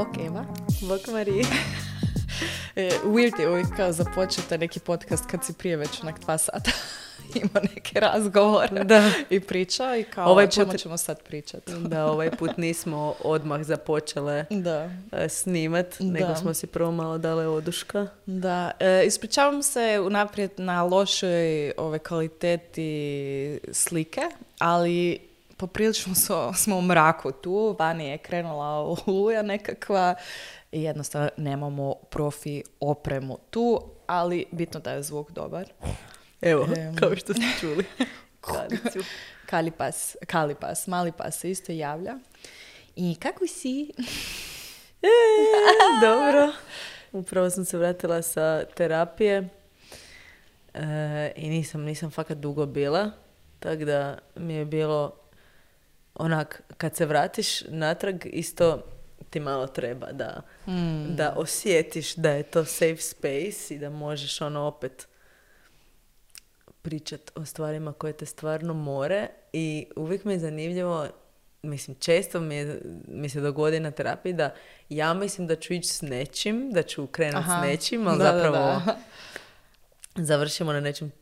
Bok Eva. Bok Mariji. Weird je uvijek kao započete neki podcast kad si prije već onak 2 sata ima neke razgovore i priča i kao o čemu ćemo sad pričati. Da, ovaj put nismo odmah započele snimat, nego smo si prvo malo dale oduška. Da, ispričavam se unaprijed na lošoj kvaliteti slike, ali poprilično smo u mraku tu, vani je krenula oluja nekakva i jednostavno nemamo profi opremu tu, ali bitno da je zvuk dobar. Evo, kao što ste čuli. Kalipas, mali pas se isto javlja. I kako si? Dobro. Upravo sam se vratila sa terapije i nisam fakat dugo bila, tako da mi je bilo onak, kad se vratiš natrag, isto ti malo treba da osjetiš da je to safe space i da možeš opet pričat o stvarima koje te stvarno more. I uvijek mi je zanimljivo, mislim, često mi se dogodi na terapiji da ja mislim da ću ići s nečim, da ću krenuti s nečim, ali zapravo završimo na nečem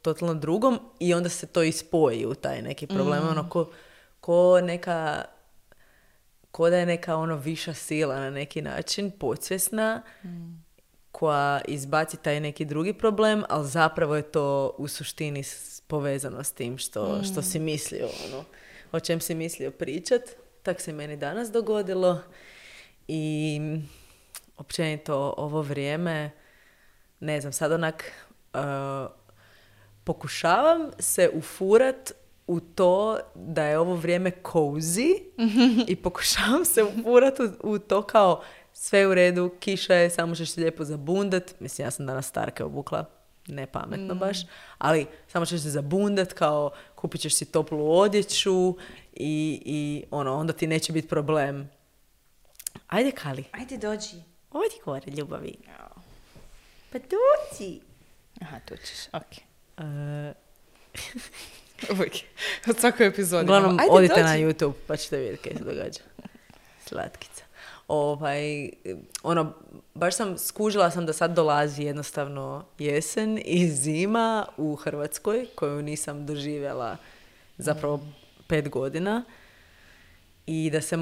totalno drugom i onda se to ispoji u taj neki problem. Ko da je neka viša sila na neki način, podsvjesna, koja izbaci taj neki drugi problem, ali zapravo je to u suštini povezano s tim što si mislio, o čem si mislio pričat. Tak se meni danas dogodilo i općenito ovo vrijeme, ne znam, sad onak pokušavam se ufurat u to da je ovo vrijeme cozy i pokušavam se ufurat u to kao sve u redu, kiša je, samo ćeš se lijepo zabundat. Mislim, ja sam danas starke obukla, ne pametno baš, ali samo ćeš se zabundat, kao kupit ćeš si toplu odjeću i onda ti neće biti problem. Ajde, Kali. Ajde, dođi. Odi gore, ljubavi. Pa dođi. Aha, tu ćeš, okej. Uvijek. Od svakoj epizodi. Uglavnom, odite na YouTube pa ćete vidjeti kaj se događa. Slatkica. Baš skužila sam da sad dolazi jednostavno jesen i zima u Hrvatskoj, koju nisam doživjela zapravo 5 godina. I da se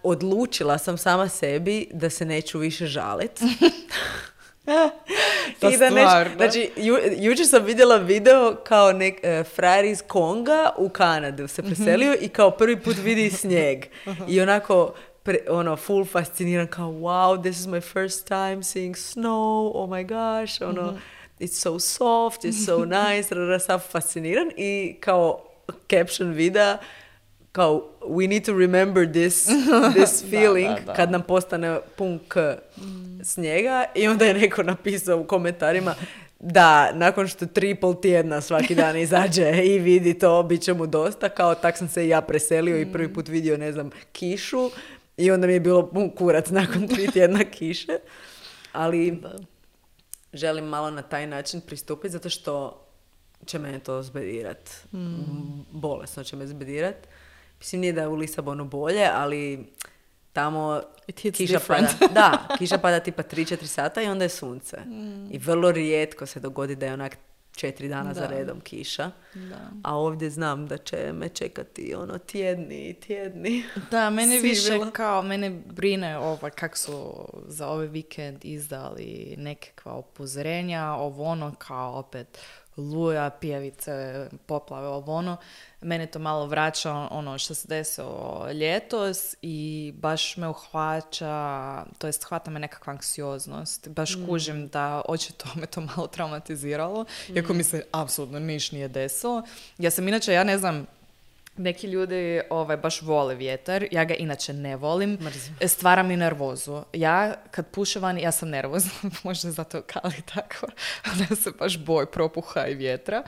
odlučila sam sama sebi da se neću više žalit. Znači, jučer sam vidjela video kao frajer iz Konga u Kanadu se preselio i kao prvi put vidi snijeg. I onako full fasciniran, kao wow, this is my first time seeing snow, oh my gosh, it's so soft, it's so nice, sam fasciniran i kao caption videa, kao we need to remember this feeling kad nam postane pun snijega. I onda je neko napisao u komentarima da nakon što 3,5 tjedna svaki dan izađe i vidi to, bit će mu dosta, kao tak sam se i ja preselio i prvi put vidio, ne znam, kišu i onda mi je bilo pun kurac nakon 3 tjedna kiše. Ali želim malo na taj način pristupiti zato što će mene to zbedirat. Bolesno će me zbedirat. Mislim, nije da je u Lisabonu bolje, ali tamo kiša pada. Da, kiša pada tipa 3-4 sata i onda je sunce. I vrlo rijetko se dogodi da je onak 4 dana za redom kiša. Da. A ovdje znam da će me čekati tjedni. Da, mene više kao, mene brine kako su za ovaj vikend izdali nekakva upozorenja, kao opet luja, pijavice, poplave, Mene to malo vraća što se desilo ljetos i baš me hvata me nekakva anksioznost. Baš kužim da očito me to malo traumatiziralo, iako mi se apsolutno niš nije desilo. Ja sam inače, ja ne znam, neki ljudi baš vole vjetar, ja ga inače ne volim. Stvara mi nervozu. Ja kad puše van, ja sam nervozna, možda zato Kali tako, da se baš boj propuha i vjetra.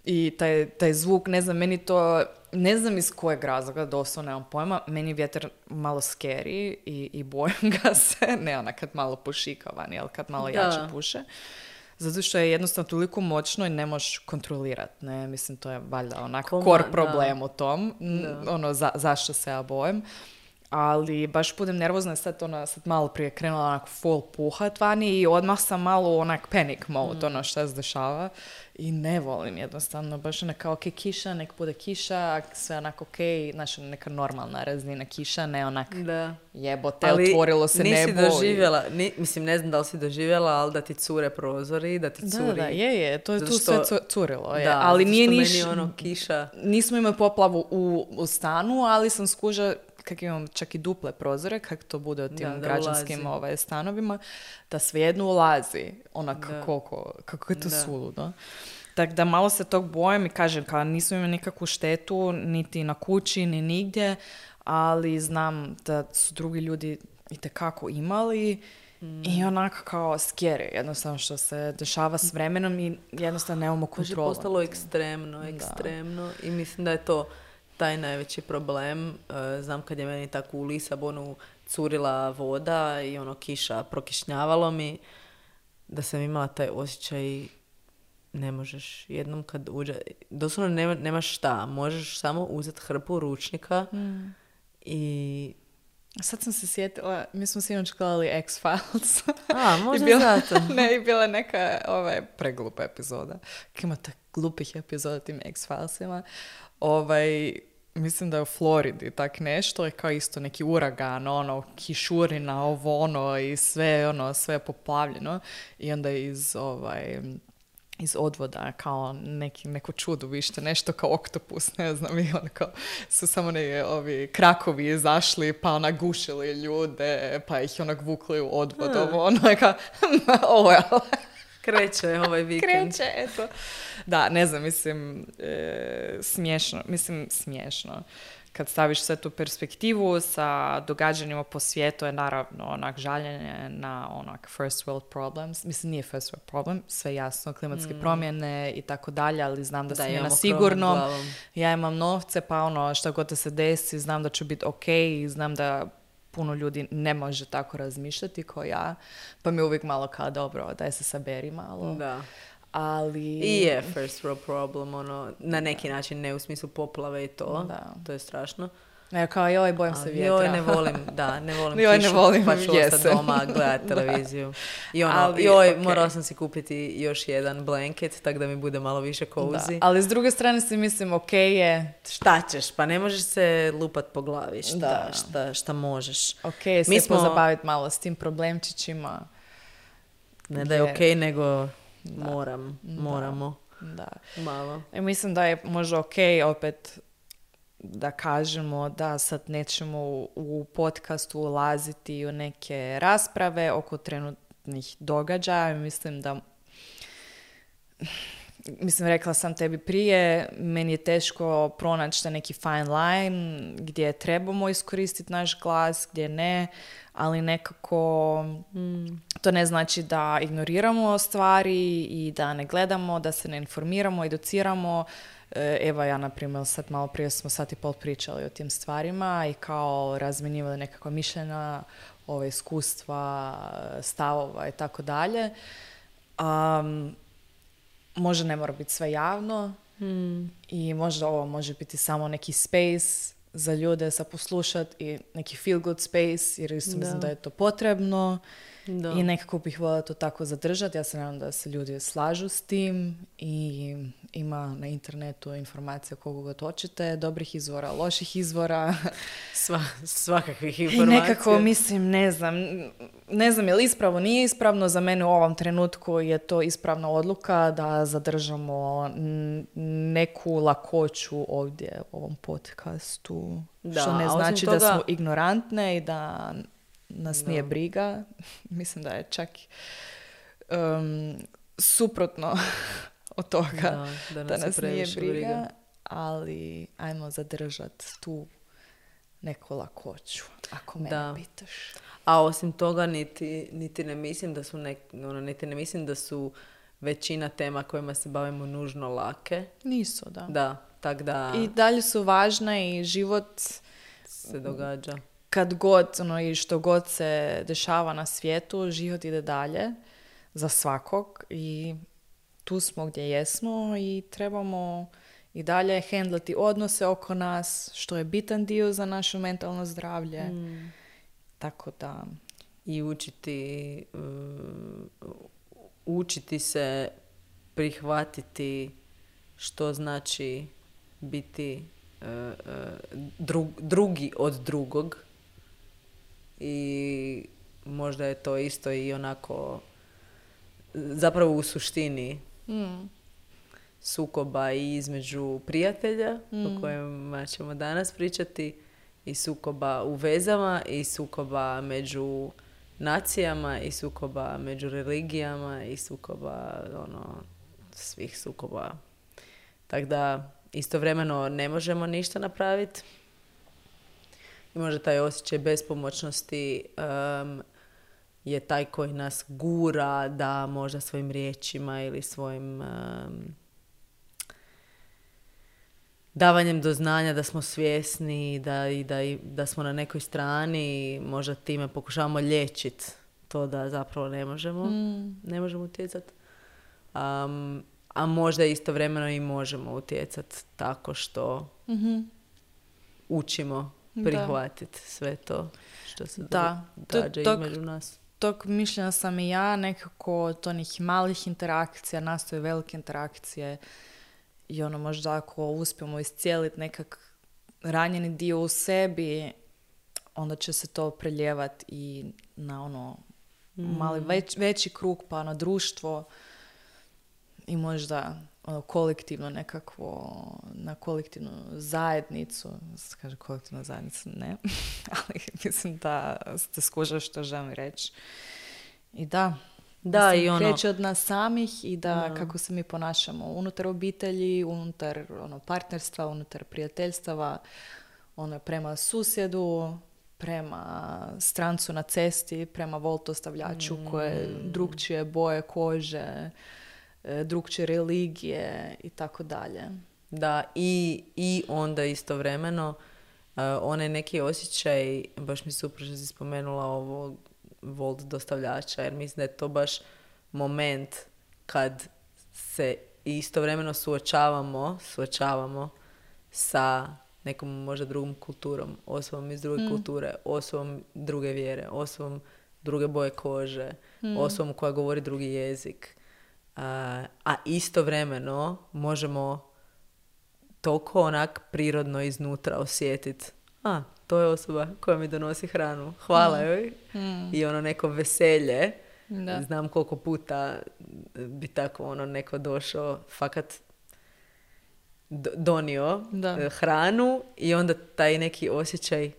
I taj zvuk, ne znam, meni to, ne znam iz kojeg razloga, doslovno nemam pojma, meni je vjetar malo scary i bojim ga se, ne kad malo pušika vani, ali kad malo jače puše. Zato što je jednostavno toliko moćno i ne možeš kontrolirati, ne? Mislim, to je valjda core problem u tom, zašto se ja bojim. ali baš budem nervozna, sad malo prije krenula onako full puhat vani i odmah sam malo onak panic mode, ono šta se dešava. I ne volim jednostavno, baš ono kao kiša, nek bude kiša, sve onako znači neka normalna razina kiša, ne onak jebote, ali otvorilo se nebo. Ali nisi doživjela, mislim ne znam da li si doživjela, ali da ti cure prozori, da ti curi. Da, je, to je tu sve curilo. Je. Da, ali nije meni ono kiša. Nismo imali poplavu u stanu, ali sam skužila kak imam čak i duple prozore, kako to bude u tim građanskim stanovima, da svejedno ulazi onak kako je to suludo. Tako da malo se tog bojim i kažem, kao nismo imali nikakvu štetu, niti na kući, ni nigdje, ali znam da su drugi ljudi itekako imali i onako kao scary, jednostavno što se dešava s vremenom i jednostavno nemamo kontrolu. Je postalo ekstremno i mislim da je to taj najveći problem. Znam kad je meni tako u Lisabonu curila voda i ono kiša, prokišnjavalo mi, da sam imala taj osjećaj ne možeš jednom kad uđe, doslovno nemaš šta, možeš samo uzeti hrpu ručnika i... Sad sam se sjetila, mi smo sinoć gledali X-Files. Možda zato. Ne, i bila neka preglupa epizoda. Ima tak glupih epizoda tim X-Filesima. Mislim da je u Floridi tak nešto, je kao isto neki uragan, ono, kišurina, i sve, sve je poplavljeno. I onda iz odvoda kao neko čudo vište, nešto kao oktopus, ne znam, i kao su samo ovi krakovi izašli, pa gušili ljude, pa ih vukli u odvod, Kreće ovaj vikend. Kreće, eto. Da, ne znam, mislim, smiješno. Kad staviš sve tu perspektivu sa događanjima po svijetu je naravno onak žaljenje na onak first world problems. Mislim, nije first world problem, sve jasno, klimatske promjene i tako dalje, ali znam da sam je na sigurnom. Ja imam novce, pa šta god da se desi, znam da ću biti ok i znam da puno ljudi ne može tako razmišljati kao ja, pa mi je uvijek malo kao dobro, daj se saberi malo. Da. Ali... I je first world problem, na neki način, ne u smislu poplave i to. Da. To je strašno. Ne, kao bojim se vjetra. Ne volim kišu, pa ću ostati doma gledati televiziju. I morala sam si kupiti još jedan blanket, tako da mi bude malo više cozy. Ali s druge strane si mislim, ok je... Šta ćeš? Pa ne možeš se lupat po glavi. Šta možeš? Ok, se pozabaviti malo s tim problemčićima. Ne da je ok, nego... Moramo. Da. Malo. Mislim da je možda ok opet da kažemo da sad nećemo u podcastu ulaziti u neke rasprave oko trenutnih događaja. Mislim, rekla sam tebi prije, meni je teško pronaći neki fine line gdje trebamo iskoristiti naš glas, gdje ne, ali nekako to ne znači da ignoriramo stvari i da ne gledamo, da se ne informiramo, educiramo. Evo ja, na primjer, sad malo prije smo sat i pol pričali o tim stvarima i kao razmjenjivali nekakva mišljenja, iskustva, stavova i tako dalje. Možda ne mora biti sve javno i možda ovo može biti samo neki space za ljude sa poslušat i neki feel good space, jer isto mislim da je to potrebno. Da. I nekako bih voljela to tako zadržati. Ja se nadam da se ljudi slažu s tim i ima na internetu informacija koliko god hoćete, dobrih izvora, loših izvora. Svakakvih informacija. I nekako mislim, ne znam je li ispravno, nije ispravno. Za mene u ovom trenutku je to ispravna odluka da zadržamo neku lakoću ovdje u ovom podcastu. Što ne znači da smo ignorantne i da nas nije briga. Mislim da je čak suprotno od toga da nas nije briga, ali ajmo zadržati tu neku lakoću, ako mene pitaš. A osim toga niti ne mislim da su niti ne mislim da su većina tema kojima se bavimo nužno lake. Nisu, da. Da, tak da... I dalje su važne i život se događa. Kad god, i što god se dešava na svijetu, život ide dalje za svakog i tu smo gdje jesmo i trebamo i dalje hendlati odnose oko nas, što je bitan dio za naše mentalno zdravlje. Tako da... I učiti se prihvatiti što znači biti drugi od drugog. I možda je to isto i onako zapravo u suštini sukoba i između prijatelja o kojima ćemo danas pričati, i sukoba u vezama, i sukoba među nacijama, i sukoba među religijama, i sukoba svih sukoba. Tako da istovremeno ne možemo ništa napraviti. I možda taj osjećaj bespomoćnosti je taj koji nas gura da možda svojim riječima ili svojim davanjem do znanja da smo svjesni da smo na nekoj strani, možda time pokušavamo liječiti to da zapravo ne možemo utjecati. A možda istovremeno i možemo utjecati tako što učimo prihvatiti sve to što se događa između nas. Tog mišljenja sam i ja, nekako od onih malih interakcija nastoje velike interakcije i možda ako uspijemo iscijeliti nekak ranjeni dio u sebi, onda će se to preljevati i na mali veći krug, pa na društvo i možda kolektivno nekakvo, na kolektivnu zajednicu. Kaže kolektivna zajednica, ne. Ali mislim da ste skužili što želim reći. I da, kreće od nas samih i da kako se mi ponašamo unutar obitelji, unutar partnerstva, unutar prijateljstava, prema susjedu, prema strancu na cesti, prema voltostavljaču koje drugčije boje kože, drugčije religije i tako dalje. Da, i onda istovremeno onaj neki osjećaj, baš mi super što si spomenula ovo volt dostavljača, jer mislim da je to baš moment kad se istovremeno suočavamo sa nekom možda drugom kulturom, osobom iz druge kulture, osobom druge vjere, osobom druge boje kože, osobom koja govori drugi jezik. A istovremeno možemo toliko onak prirodno iznutra osjetiti to je osoba koja mi donosi hranu, hvala joj. I neko veselje. Da. Znam koliko puta bi tako neko došao, fakat donio hranu i onda taj neki osjećaj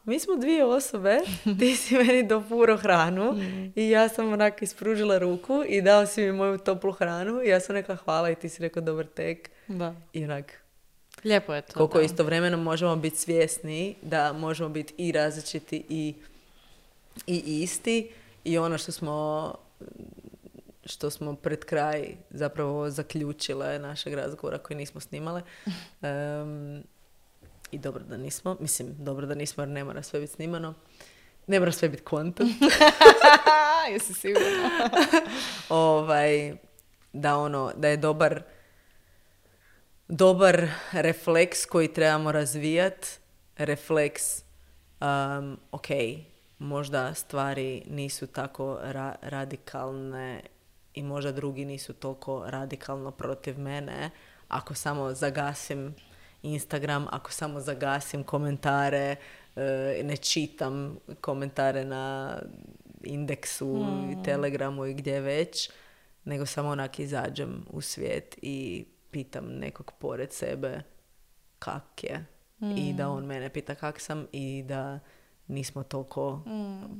mi smo dvije osobe, ti si meni dopuro hranu i ja sam onak ispružila ruku i dao si mi moju toplu hranu i ja sam rekla hvala i ti si rekao dobar tek. Da. I onak lijepo je to. Koliko istovremeno možemo biti svjesni da možemo biti i različiti i isti i ono što smo pred kraj zapravo zaključile našeg razgovora koji nismo snimale. I dobro da nismo. Mislim, dobro da nismo jer ne mora sve biti snimano. Ne mora sve biti content. Jesi sigurno. Da je dobar refleks koji trebamo razvijati. Refleks, možda stvari nisu tako radikalne i možda drugi nisu toliko radikalno protiv mene. Ako samo zagasim Instagram, ako samo zagasim komentare, ne čitam komentare na Indeksu i Telegramu i gdje već, nego samo onak izađem u svijet i pitam nekog pored sebe kak je. I da on mene pita kak sam i da nismo toliko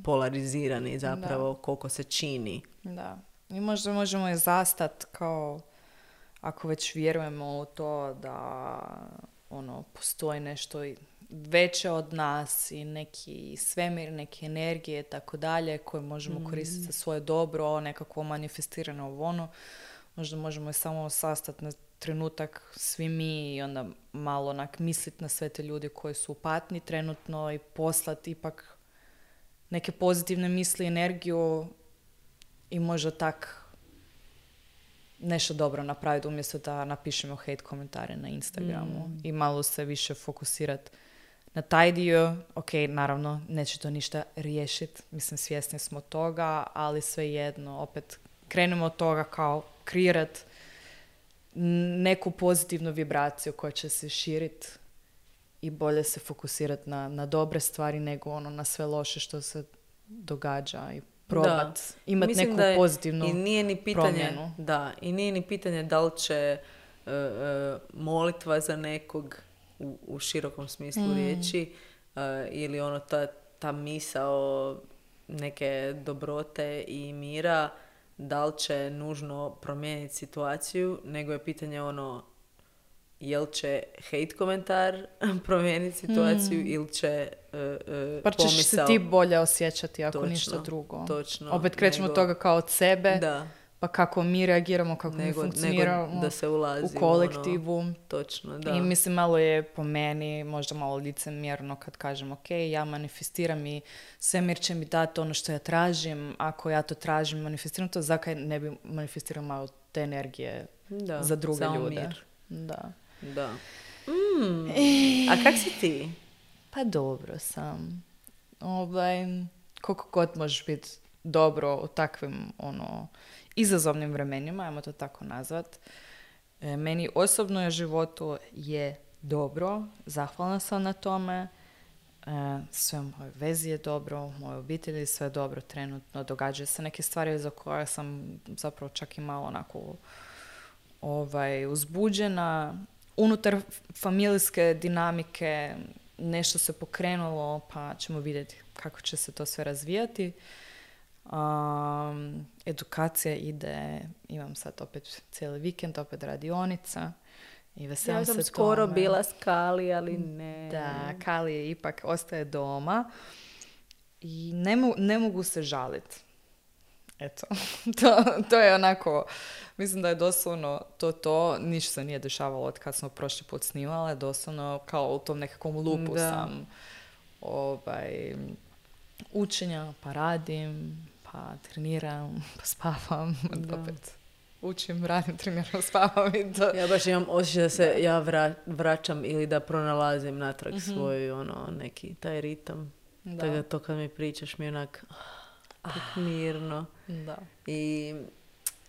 polarizirani zapravo koliko se čini. Da. I možda možemo je zastat kao ako već vjerujemo u to da postoji nešto veće od nas i neki svemir, neke energije tako dalje koje možemo koristiti za svoje dobro, nekako manifestirano možda možemo je samo sastati na trenutak svi mi i onda malo misliti na sve te ljudi koji su u patnji trenutno i poslati ipak neke pozitivne misli, energiju i možda tak nešto dobro napraviti umjesto da napišemo hate komentare na Instagramu i malo se više fokusirati na taj dio. Ok, naravno, neće to ništa riješiti, mislim, svjesni smo toga, ali svejedno, opet, krenemo od toga kao kreirati neku pozitivnu vibraciju koja će se širiti i bolje se fokusirati na dobre stvari nego ono na sve loše što se događa i probat imati neku pozitivnu i nije ni pitanje, promjenu. Da, i nije ni pitanje da li će molitva za nekog u širokom smislu riječi ili ono ta misao neke dobrote i mira, da li će nužno promijeniti situaciju, nego je pitanje ono jel će hate komentar promijeniti situaciju ili će pa ćeš se ti bolje osjećati ako ništa drugo. Točno. Opet krećemo od toga kao od sebe, pa kako mi reagiramo, kako mi funkcioniramo da se ulazi u kolektivu. Ono, točno, da. I mislim, malo je po meni možda malo licemjerno kad kažem ok, ja manifestiram i svemir će mi dati ono što ja tražim. Ako ja to tražim, manifestiram to, zakaj ne bi manifestirao malo te energije za druge ljude. Mir. Da. A kak si ti? Pa dobro sam. Koliko god možeš biti dobro u takvim izazovnim vremenima, ajmo to tako nazvat. Meni osobno u životu je dobro, zahvalna sam na tome. Sve u mojoj vezi je dobro, u mojoj obitelji sve je dobro trenutno. Događaju se neke stvari za koje sam zapravo čak i malo onako uzbuđena. Unutar familijske dinamike nešto se pokrenulo, pa ćemo vidjeti kako će se to sve razvijati. Edukacija ide, imam sad opet cijeli vikend, opet radionica i veselim se tome. Ja sam skoro bila s Kali, ali ne. Da, Kali ipak ostaje doma i ne mogu se žaliti. Eto, to je onako, mislim da je doslovno to, ništa se nije dešavalo od kad smo prošli put snimali, doslovno kao u tom nekakvom lupu sam učenja, pa radim, pa treniram, pa spavam, opet učim, radim, treniram, spavam i to. Ja baš imam osjećaj da se ja vraćam ili da pronalazim natrag svoj neki taj ritam. Tako da to kad mi pričaš mi je onak tako mirno. Da. I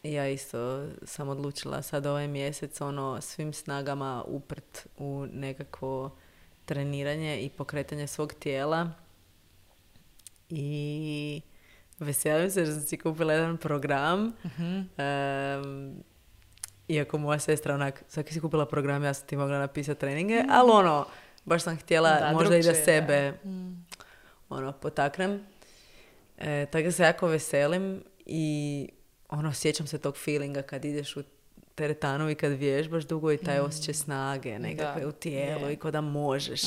ja isto sam odlučila sad ovaj mjesec svim snagama uprt u nekakvo treniranje i pokretanje svog tijela. I veselim se da sam si kupila jedan program. Iako moja sestra onak, svaki si kupila program, ja sam ti mogla napisati treninge, ali baš sam htjela možda i da sebe potaknem. Tako da se jako veselim i sjećam se tog feelinga kad ideš u teretanu i kad vježbaš dugo i taj osjećaj snage nekakve u tijelu i ko da možeš.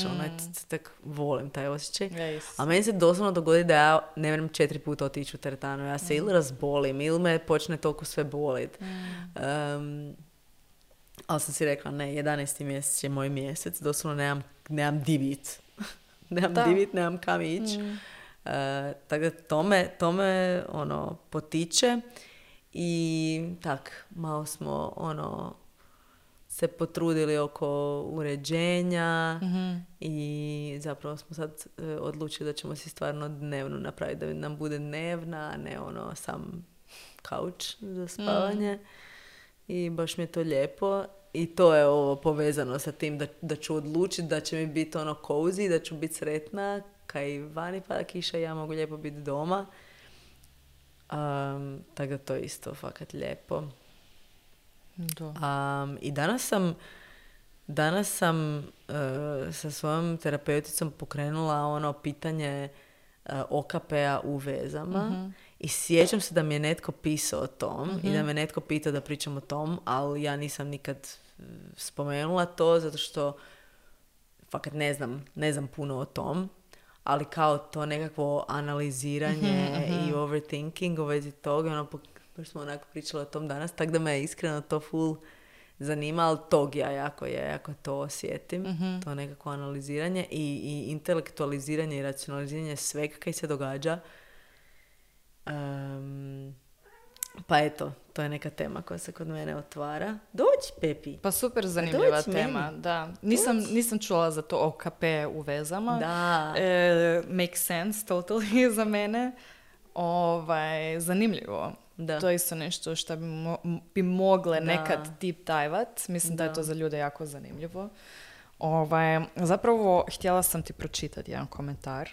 Tak volim taj osjećaj. A meni se doslovno dogodi da ja ne vrem 4 puta otići u teretanu. Ja se ili razbolim ili me počne toliko sve bolit. Ali sam si rekla, ne, 11. mjesec je moj mjesec. Doslovno nemam divit. Nemam kam ići. Tako da to me potiče. I tak, malo smo se potrudili oko uređenja i zapravo smo sad odlučili da ćemo si stvarno dnevno napraviti, da nam bude dnevna, a ne sam kauč za spavanje. I baš mi je to lijepo. I to je ovo povezano sa tim da ću odlučiti da će mi biti cozy, da ću biti sretna, kaj vani pada kiša i ja mogu lijepo biti doma. Tako da to je isto fakat lijepo. I danas sam sa svojom terapeuticom pokrenula pitanje OKP-a u vezama i sjećam se da mi je netko pisao o tom i da me netko pitao da pričam o tom, ali ja nisam nikad spomenula to zato što fakat ne znam puno o tom. Ali kao to nekakvo analiziranje i overthinking u vezi toga, baš smo onako pričali o tom danas, tako da me je iskreno to full zanima, ali tog ja jako to osjetim, to nekako analiziranje i intelektualiziranje i racionaliziranje svega kaj se događa. Pa eto, to je neka tema koja se kod mene otvara. Dođi, Pepi. Pa super zanimljiva dođi tema, meni. da. Nisam čula za to OKP u vezama. Da. Make sense totally za mene. Zanimljivo. Da. To je isto nešto što bi mogle nekad deep dive-at. Mislim da je to za ljude jako zanimljivo. Zapravo, htjela sam ti pročitati jedan komentar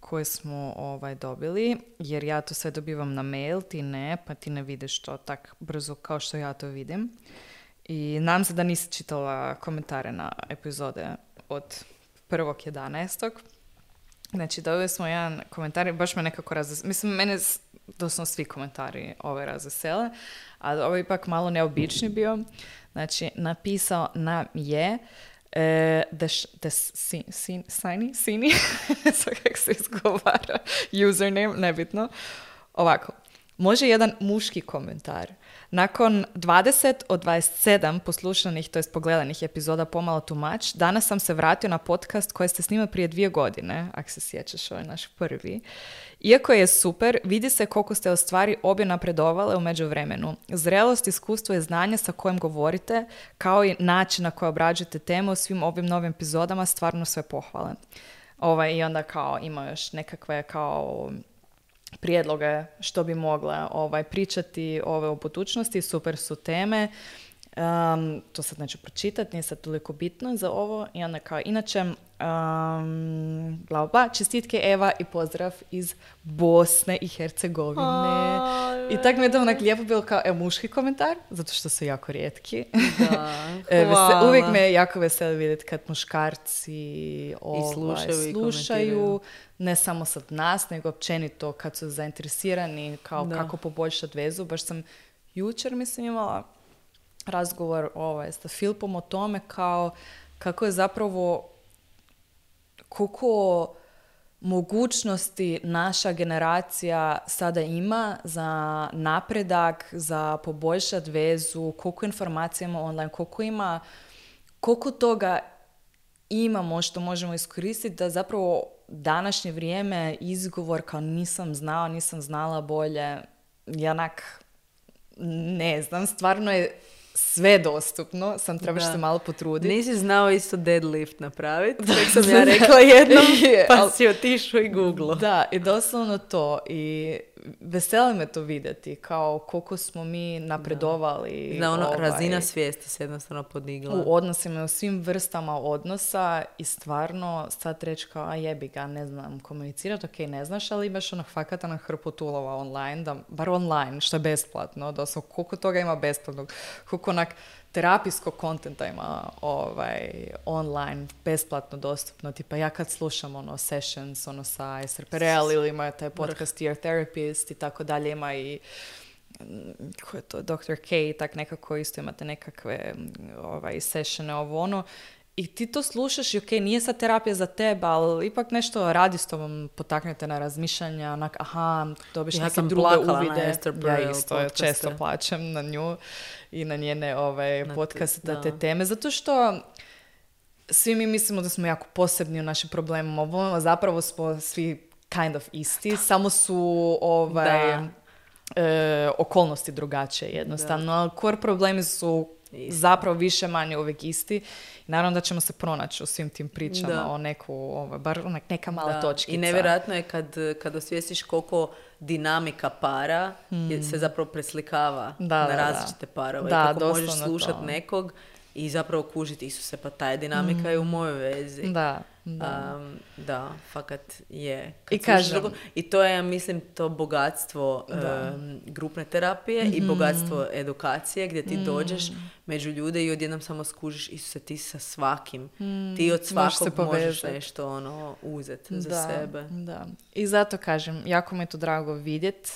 koje smo dobili, jer ja to sve dobivam na mail, ti ne, pa ti ne vidiš to tak brzo kao što ja to vidim. I nadam se da nisi čitala komentare na epizode od 1.11. Znači, dobili smo jedan komentar, baš me nekako mislim, mene doslovno svi komentari razvesele, a ovo je ipak malo neobični bio. Znači, napisao nam je Sini, so kako se izgovara, username, nebitno. Ovako, može jedan muški komentar. Nakon 20 od 27 poslušanih, to jest pogledanih epizoda Pomalo too much, danas sam se vratio na podcast koji ste snimali prije 2 godine, ako se sjećaš, ovo je naš prvi. Iako je super, vidi se koliko ste u stvari obje napredovale u međuvremenu. Zrelost, iskustvo i znanje sa kojim govorite, kao i način na koji obrađujete temu u svim ovim novim epizodama, stvarno sve pohvale. I onda kao ima još nekakve kao prijedloge što bi mogle pričati o budućnosti, super su teme. To sad neću pročitati, nije sad toliko bitno za ovo. I onda kao inače, bla bla, čestitke Eva i pozdrav iz Bosne i Hercegovine. I tako mi je to onak lijepo bilo kao muški komentar, zato što su jako rijetki. Da, uvijek me jako veseli vidjeti kad muškarci slušaju ne samo sad nas, nego općenito kad su zainteresirani kao kako poboljšati vezu. Baš sam jučer, mislim, imala razgovor sa Filipom o tome kao kako je zapravo koliko mogućnosti naša generacija sada ima za napredak, za poboljšati vezu, koliko informacija ima online, koliko toga imamo što možemo iskoristiti da zapravo današnje vrijeme izgovor kao nisam znala bolje, janak ne znam, stvarno je sve dostupno, sam trebaš se malo potruditi. Nisi znao isto deadlift napraviti, tako sam ja rekla jednom, pa si otišao i googlo. Da, i doslovno to. I veseli me to vidjeti, kao koliko smo mi napredovali. Da, razina svijesti se jednostavno podigla. U odnosima, u svim vrstama odnosa i stvarno sad reći kao, a jebi ga, ne znam komunicirati, ok, ne znaš, ali imaš fakata na hrpu toolova online, da, bar online, što je besplatno, doslovno, koliko toga ima besplatnog, koliko onak terapijskog kontenta ima online, besplatno dostupno. Tipa ja kad slušam sessions sa Esther Perel ili ima taj podcast Dear Therapist i tako dalje, ima i ko je to, Dr. K, tak nekako isto imate nekakve sessione i ti to slušaš i ok, nije sad terapija za tebe, ali ipak nešto radi s tobom, potaknete na razmišljanja, dobiš neke druge uvide. Ja isto često plaćam na nju i na njene podcaste, te teme, zato što svi mi mislimo da smo jako posebni u našim problemima, zapravo smo svi kind of isti, samo su okolnosti drugačije jednostavno, ali core problemi su zapravo više manje uvijek isti. Naravno da ćemo se pronaći u svim tim pričama o bar neka mala točkica. I nevjerojatno je kad osvijestiš koliko dinamika para se zapravo preslikava na različite parove. Da, kako možeš slušati nekog i zapravo kužiti, Isuse, pa ta je dinamika je u mojoj vezi. Da, fakat je. I kažem. I to je, mislim, to bogatstvo grupne terapije i bogatstvo edukacije gdje ti dođeš među ljude i odjednom samo skužiš, Isuse, ti sa svakim. Ti od svakog možeš nešto uzeti za sebe. Da. I zato kažem, jako mi je to drago vidjeti,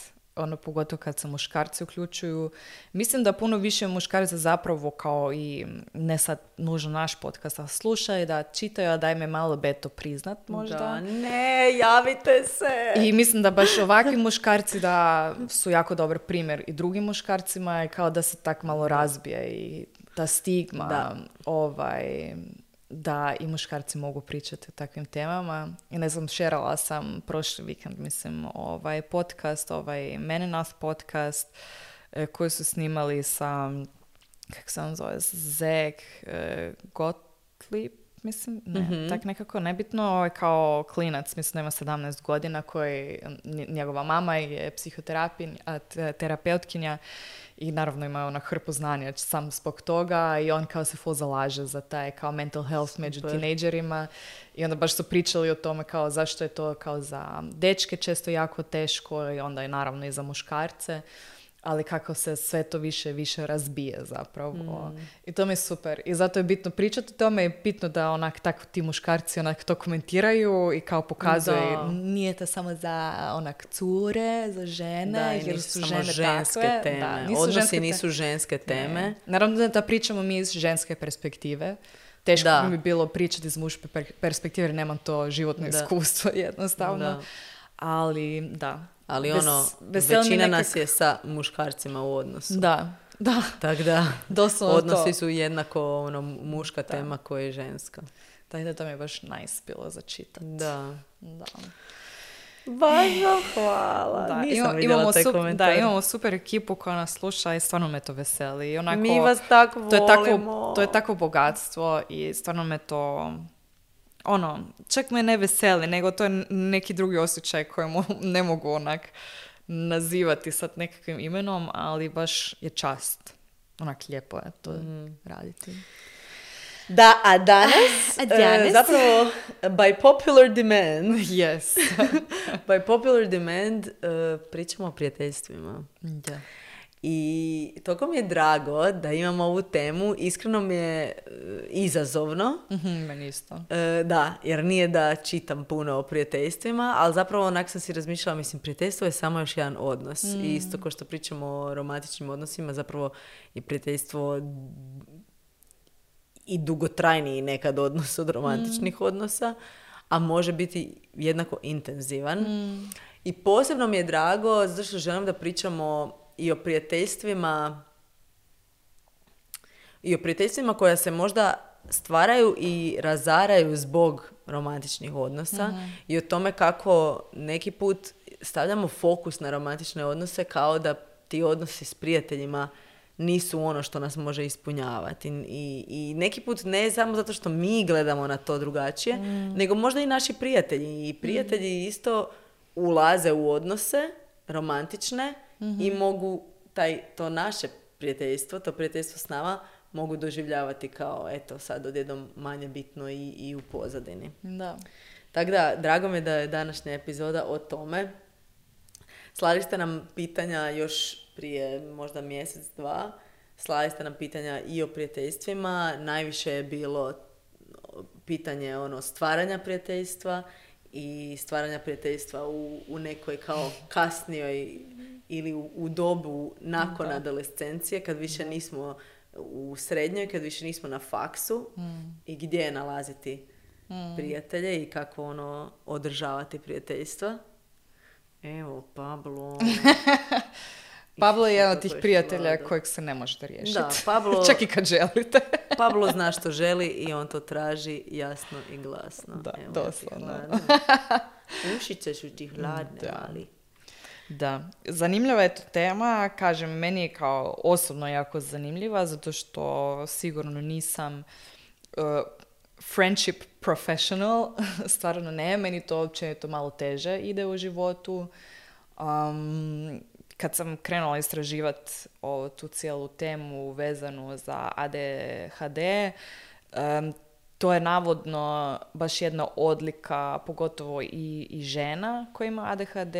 pogotovo kad se muškarci uključuju. Mislim da puno više muškarca zapravo kao i ne sad nužno naš podcast, a slušaju, da čitaju, a daj me malo beto priznat možda. Da, ne, javite se! I mislim da baš ovakvi muškarci da su jako dobar primjer i drugim muškarcima i kao da se tak malo razbije i ta stigma da i muškarci mogu pričati o takvim temama. I ne znam, šerala sam prošli vikend, mislim, podcast, Menenas podcast, koji su snimali sa, kako se on zove, Zeg Gottlieb, mislim, ne, tak nekako nebitno, kao klinac, mislim, ima 17 godina, koji, njegova mama je psihoterapeutkinja i naravno ima ona hrpu znanja sam zbog toga i on kao se full zalaže za taj kao mental health među tinejdžerima i onda baš su pričali o tome kao zašto je to kao za dečke često jako teško i onda je naravno i za muškarce. Ali kako se sve to više razbije zapravo. I to mi je super. I zato je bitno pričati o tome i bitno da onak tako ti muškarci onak to komentiraju i kao pokazuje nije to samo za onak cure, za žene, jer su žene ženske takve. Teme. Da, Odnosi nisu ženske teme. Ne. Naravno da pričamo mi iz ženske perspektive. Teško bi mi bilo pričati iz muške perspektive jer nemam to životno iskustvo jednostavno. Ali da. Ali većina nas je sa muškarcima u odnosu. Da. Tako da, odnosi to. su jednako muška tema koja je ženska. Tako da to mi je baš nice bilo za čitati. Da. Bažno hvala. Nisam vidjela taj komentar. Imamo super ekipu koja nas sluša i stvarno me to veseli. Onako, mi vas tako volimo. To je tako bogatstvo i stvarno me to... čak me ne veseli, nego to je neki drugi osjećaj kojemu ne mogu onak nazivati sad nekakvim imenom, ali baš je čast. Onak lijepo je to raditi. Da, a danas? Zapravo, by popular demand, yes. by popular demand pričamo o prijateljstvima. Da. I toliko mi je drago da imam ovu temu. Iskreno mi je izazovno. Meni isto. Da, jer nije da čitam puno o prijateljstvima, ali zapravo onak sam si razmišljala, mislim, prijateljstvo je samo još jedan odnos. I isto kao što pričamo o romantičnim odnosima, zapravo je prijateljstvo i dugotrajniji nekad odnos od romantičnih odnosa, a može biti jednako intenzivan. I posebno mi je drago, zato što želim da pričamo i o prijateljstvima koja se možda stvaraju i razaraju zbog romantičnih odnosa i o tome kako neki put stavljamo fokus na romantične odnose kao da ti odnosi s prijateljima nisu ono što nas može ispunjavati. I neki put ne samo zato što mi gledamo na to drugačije, nego možda i naši prijatelji. I prijatelji isto ulaze u odnose romantične i mogu to naše prijateljstvo, to prijateljstvo s nama, mogu doživljavati kao, eto, sad odjednom manje bitno i u pozadini. Da. Tako da, drago mi je da je današnja epizoda o tome. Slali ste nam pitanja još prije možda mjesec, dva. Slali ste nam pitanja i o prijateljstvima. Najviše je bilo pitanje stvaranja prijateljstva i stvaranja prijateljstva u nekoj kao kasnijoj ili u dobu nakon adolescencije, kad više nismo u srednjoj, kad više nismo na faksu i gdje nalaziti prijatelje i kako održavati prijateljstva. Evo, Pablo. Pablo je jedan od tih prijatelja kojeg se ne možete riješiti. Da, Pablo... Čak i kad želite. Pablo zna što želi i on to traži jasno i glasno. Da, evo, doslovno. Ušice su ti hladne, ali... Da, zanimljiva je to tema, kažem, meni je kao osobno jako zanimljiva, zato što sigurno nisam friendship professional, stvarno ne, meni to općenito malo teže ide u životu. Kad sam krenula istraživati tu cijelu temu vezanu za ADHD, to je navodno baš jedna odlika, pogotovo i žena koja ima ADHD,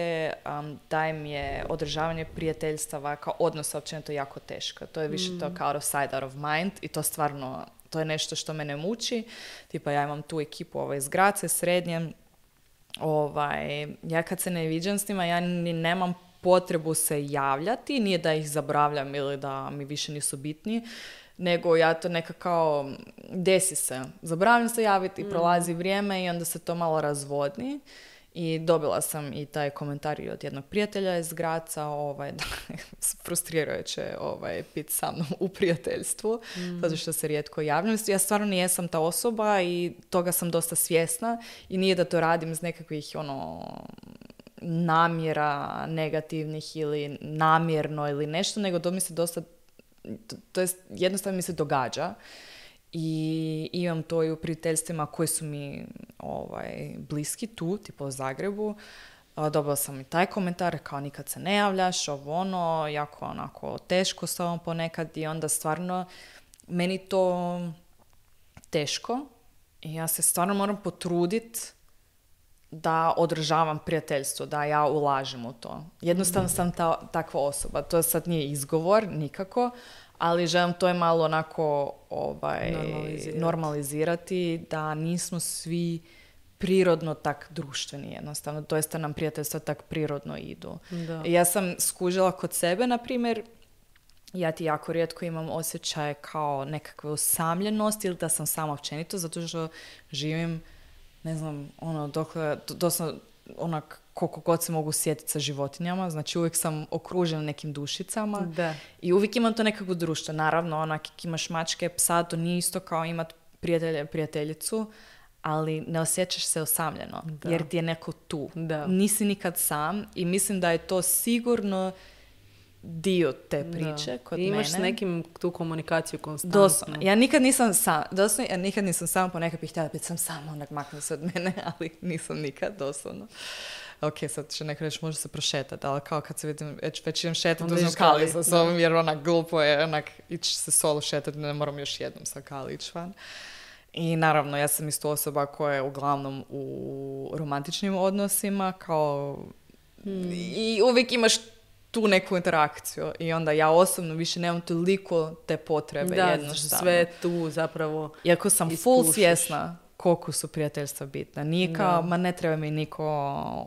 da im je održavanje prijateljstava kao odnosa općenito jako teško. To je više to kao out of sight, out of mind i to stvarno, to je nešto što mene muči. Tipa ja imam tu ekipu iz Grace, srednje. Ja kad se ne viđam s njima, ja ni nemam potrebu se javljati, nije da ih zaboravljam ili da mi više nisu bitni, nego ja to nekako desi se. Zaboravljam se javiti i prolazi vrijeme i onda se to malo razvodni. I dobila sam i taj komentar i od jednog prijatelja iz Graca, da, frustrirajuće biti sa mnom u prijateljstvu, zato što se rijetko javljam. Ja stvarno nijesam ta osoba i toga sam dosta svjesna i nije da to radim iz nekakvih namjera negativnih ili namjerno ili nešto, nego to mi se dosta, to jest jednostavno mi se događa. I imam to i u prijateljstvima koji su mi bliski tu, tipa u Zagrebu. Dobila sam i taj komentar, kao nikad se ne javljaš, jako onako teško s tobom ponekad i onda stvarno meni to teško i ja se stvarno moram potruditi da održavam prijateljstvo, da ja ulažem u to. Jednostavno sam takva osoba. To sad nije izgovor, nikako, ali želim to je malo onako normalizirati, da nismo svi prirodno tak društveni jednostavno. To jest da nam prijateljstva tak prirodno idu. Da. Ja sam skužila kod sebe, na primjer, ja ti jako rijetko imam osjećaj kao nekakve usamljenosti ili da sam sama općenito, zato što živim, ne znam, doslovno onak koliko god se mogu sjetiti sa životinjama, znači uvijek sam okružena nekim dušicama. Da. I uvijek imam to nekako društvo. Naravno, onak imaš mačke, psa, to nije isto kao imat prijateljicu, ali ne osjećaš se osamljeno, jer ti je neko tu. Da. Nisi nikad sam i mislim da je to sigurno dio te priče kod mene. Imaš s nekim tu komunikaciju konstantno. Doslovno. Ja nikad nisam sama ponekad bih htjela biti sama, onak makne se od mene, ali nisam nikad, doslovno. Ok, sad će neko reći, može se prošetati, ali kao kad se vidim, već idem šetati, uzmem Kali sa sobom, jer onak glupo je, onak ići se solo šetati, ne moram još jednom sa Kali ići van. I naravno, ja sam isto osoba koja je uglavnom u romantičnim odnosima, kao i uvijek imaš tu neku interakciju i onda ja osobno više nemam toliko te potrebe jednostavno. Sve tu zapravo iako sam full svjesna koliko su prijateljstva bitna. Nije kao, ma ne treba mi niko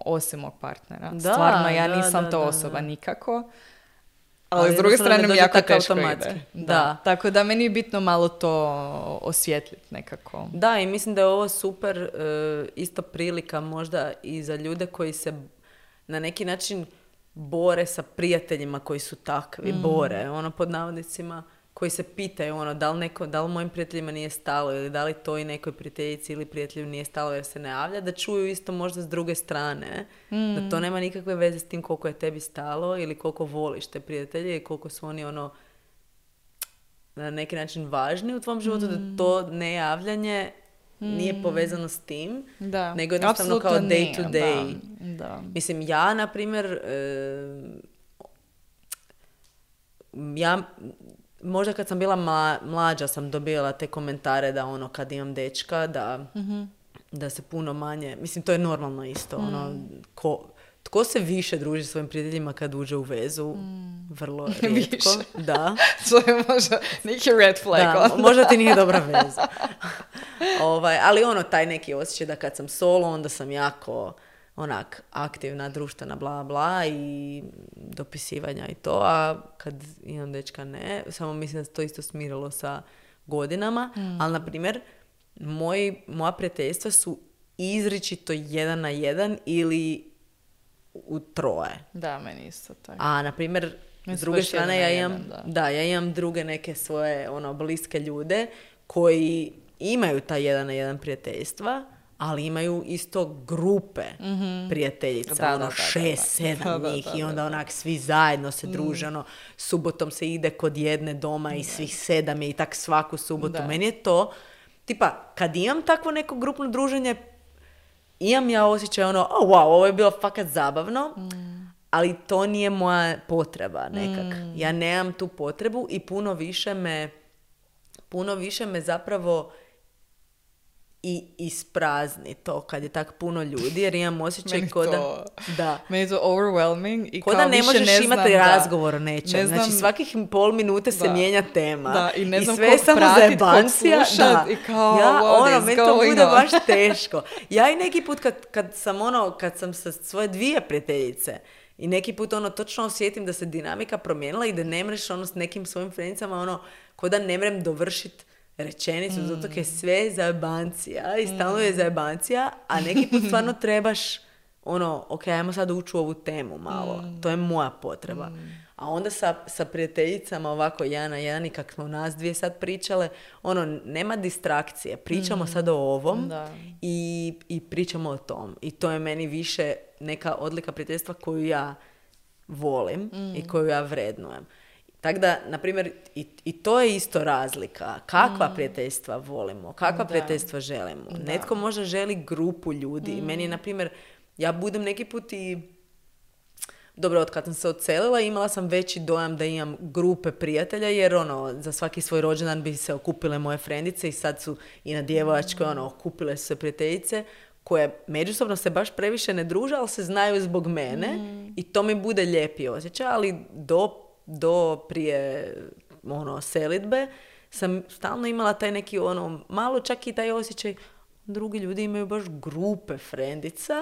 osim mog partnera. Stvarno, ja nisam ta osoba nikako. Ali s druge strane mi jako teško ide. Da. Tako da meni je bitno malo to osvijetliti nekako. Da, i mislim da je ovo super isto prilika možda i za ljude koji se na neki način bore sa prijateljima koji su takvi, bore, pod navodnicima, koji se pitaju, da li mojim prijateljima nije stalo ili da li to i nekoj prijateljici ili prijatelju nije stalo jer se ne javlja, da čuju isto možda s druge strane, da to nema nikakve veze s tim koliko je tebi stalo ili koliko voliš te prijatelje i koliko su oni na neki način važni u tvom životu, da to nejavljanje nije povezano s tim, nego jednostavno kao day to day. Da. Mislim, ja, na primjer, možda kad sam bila mlađa sam dobila te komentare da kad imam dečka, da se puno manje, mislim, to je normalno isto, tko se više druži s svojim prijateljima kad uđe u vezu? Vrlo rijetko. Da. To je možda neki red flag. Da, možda ti nije dobra veza. Ali taj neki osjećaj da kad sam solo, onda sam jako aktivna, društvena, bla, bla i dopisivanja i to, a kad imam dečka ne. Samo mislim da se to isto smirilo sa godinama, ali na primjer, moja prijateljstva su izričito 1 na 1 ili u 3. Da, meni isto tako. A, na primjer, s druge strane, ja imam druge neke svoje bliske ljude koji imaju ta 1 na 1 prijateljstva, ali imaju isto grupe prijateljica, 6-7 njih i onda svi zajedno se druže, subotom se ide kod jedne doma i svih 7 je i tak svaku subotu. Da. Meni je to, tipa, kad imam takvo neko grupno druženje, imam ja osjećaj wow, ovo je bilo fakat zabavno, ali to nije moja potreba nekak. Ja nemam tu potrebu i puno više me zapravo i isprazni to kad je tak puno ljudi, jer imam osjećaj meni je to overwhelming i kao da ne možeš imati razgovor o nečem. Znači svakih pol minute se mijenja tema. Da, i ne znam i sve je samo zajebancija. I kao, meni to bude baš teško. Ja i neki put kad sam sa svoje 2 prijateljice i neki put točno osjetim da se dinamika promijenila i da ne mreš s nekim svojim frenicama ko da ne mrem dovršiti rečenicu, zato je sve zajebancija i stalno je zajebancija, a neki put stvarno trebaš ono, ok, ajmo sad ući u ovu temu malo. To je moja potreba. A onda sa prijateljicama ovako jedan na jedan i kak smo nas dvije sad pričale, ono, nema distrakcije. Pričamo sad o ovom i pričamo o tom. I to je meni više neka odlika prijateljstva koju ja volim i koju ja vrednujem. Tako da, na primjer, i to je isto razlika. Kakva prijateljstva volimo, kakva prijateljstva želimo. Netko možda želi grupu ljudi. Meni je, na primjer, ja budem neki put i... Dobro, od kad sam se odselila, imala sam veći dojam da imam grupe prijatelja, jer ono, za svaki svoj rođendan bi se okupile moje frendice i sad su i na djevojačkoj, ono, okupile su se prijateljice koje međusobno se baš previše ne druže, ali se znaju zbog mene i to mi bude lijepi osjećaj, ali do prije ono, selidbe sam stalno imala taj neki ono, malo čak i taj osjećaj, drugi ljudi imaju baš grupe frendica,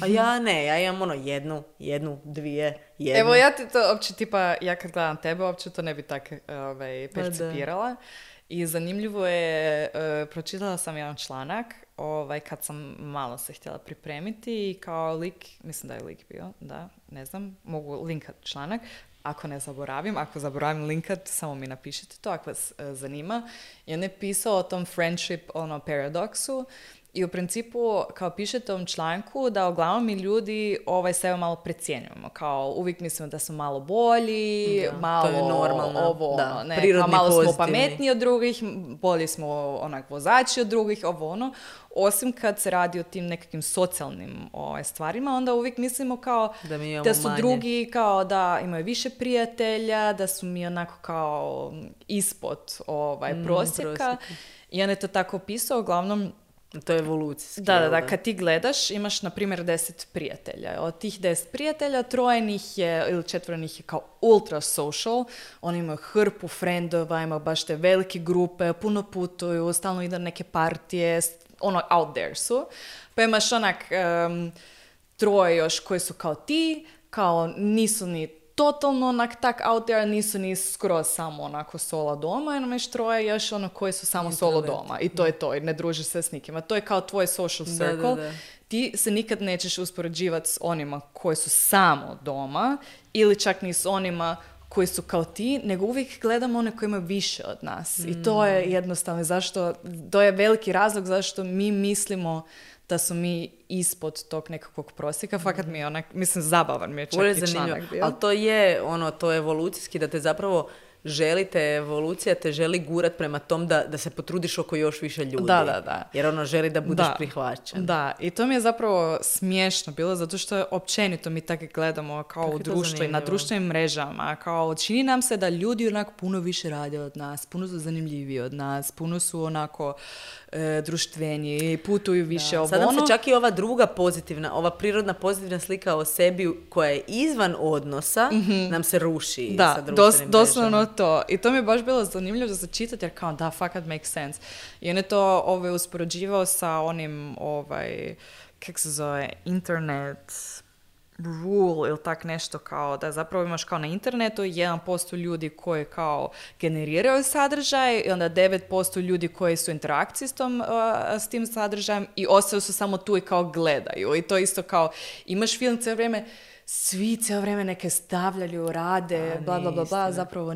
a ja ne, ja imam ono jednu, dvije, jednu. Evo ja ti to uopće tipa, ja kad gledam tebe, uopće to ne bi tako percipirala. I zanimljivo je, pročitala sam jedan članak, kad sam malo se htjela pripremiti i kao lik, mislim da je lik bio, da, ne znam, mogu linkat članak, ako zaboravim linkat, samo mi napišite to ako vas zanima. I on je pisao o tom friendship, paradoksu. I u principu, kao pišete u ovom članku, da uglavnom mi ljudi sebe malo precijenjujemo. Kao uvijek mislimo da smo malo bolji, malo to je normalno. Ovo, kao malo pozitivni. Smo pametniji od drugih, bolji smo vozači od drugih, Osim kad se radi o tim nekakvim socijalnim stvarima, onda uvijek mislimo kao da su manje. drugi kao da imaju više prijatelja, da su mi onako kao ispod prosjeka. I on je to tako pisao, uglavnom. To je evolucijski. Da, kad ti gledaš, imaš, na primjer, 10 prijatelja. Od tih 10 prijatelja, 3 njih je, ili 4 njih je kao ultra social. Oni imaju hrpu frendova, imaju baš te velike grupe, puno putuju, stalno idu neke partije, out there su. Pa imaš onak 3 još koji su kao ti, kao nisu ni totalno onak tak out there, nisu ni skroz samo onako solo doma, i imaš 3 još koji su samo solo doma. I to je to, i ne družiš se s nikima. To je kao tvoj social circle. Da. Ti se nikad nećeš uspoređivati s onima koji su samo doma, ili čak ni s onima koji su kao ti, nego uvijek gledamo one koji imaju više od nas. I to je jednostavno to je veliki razlog zašto mi mislimo da su mi ispod tog nekakvog prosjeka. Fakat mi je mislim, zabavan mi je čak i članak bio. Ali to je evolucijski, da te zapravo evolucija te želi gurat prema tom da se potrudiš oko još više ljudi. Da. Jer želi da budeš prihvaćen. Da, i to mi je zapravo smiješno bilo, zato što općenito mi tako gledamo kao u društvu i na društvenim mrežama. Kao čini nam se da ljudi onako puno više rade od nas, puno su zanimljiviji od nas, puno su onako društveniji, putuju više Sad nam se čak i ova druga pozitivna, ova prirodna pozitivna slika o sebi koja je izvan odnosa, nam se ruši sa društvenim doslovno to. I to mi je baš bilo zanimljivo da se čitati, jer kao da, fakat makes sense. I on je to uspoređivao sa onim, kako se zove, internet rule ili tak nešto, kao da zapravo imaš kao na internetu 1% ljudi koji kao generiraju sadržaj i onda 9% ljudi koji su u interakciji s tim sadržajem i ostaju su samo tu i kao gledaju. I to isto kao imaš film cijelo vrijeme, svi cijelo vrijeme neke stavljaju, rade, bla, bla, bla, bla, zapravo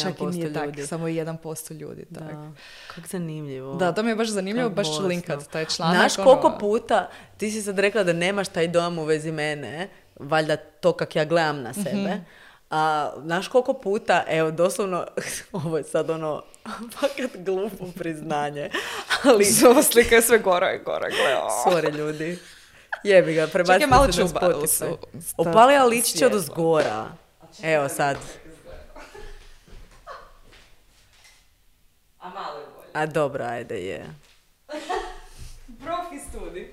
čak i nije tako, samo 1% ljudi. Tak. Da, kako zanimljivo. Da, to mi je baš zanimljivo, baš ću linkat taj članak. Znaš koliko puta, ti si sad rekla da nemaš taj dojam u vezi mene, valjda to kak ja gledam na sebe, a znaš koliko puta, evo, doslovno, ovo je sad fakat glupo priznanje, ali... Ova slika je sve gora i gora, gledam. Sorry, ljudi. Jebi ga, prebacite se na Spotify. Opalija ličiće od uzgora. Evo sad. A malo je bolje. A dobro, ajde, je. Profi studij.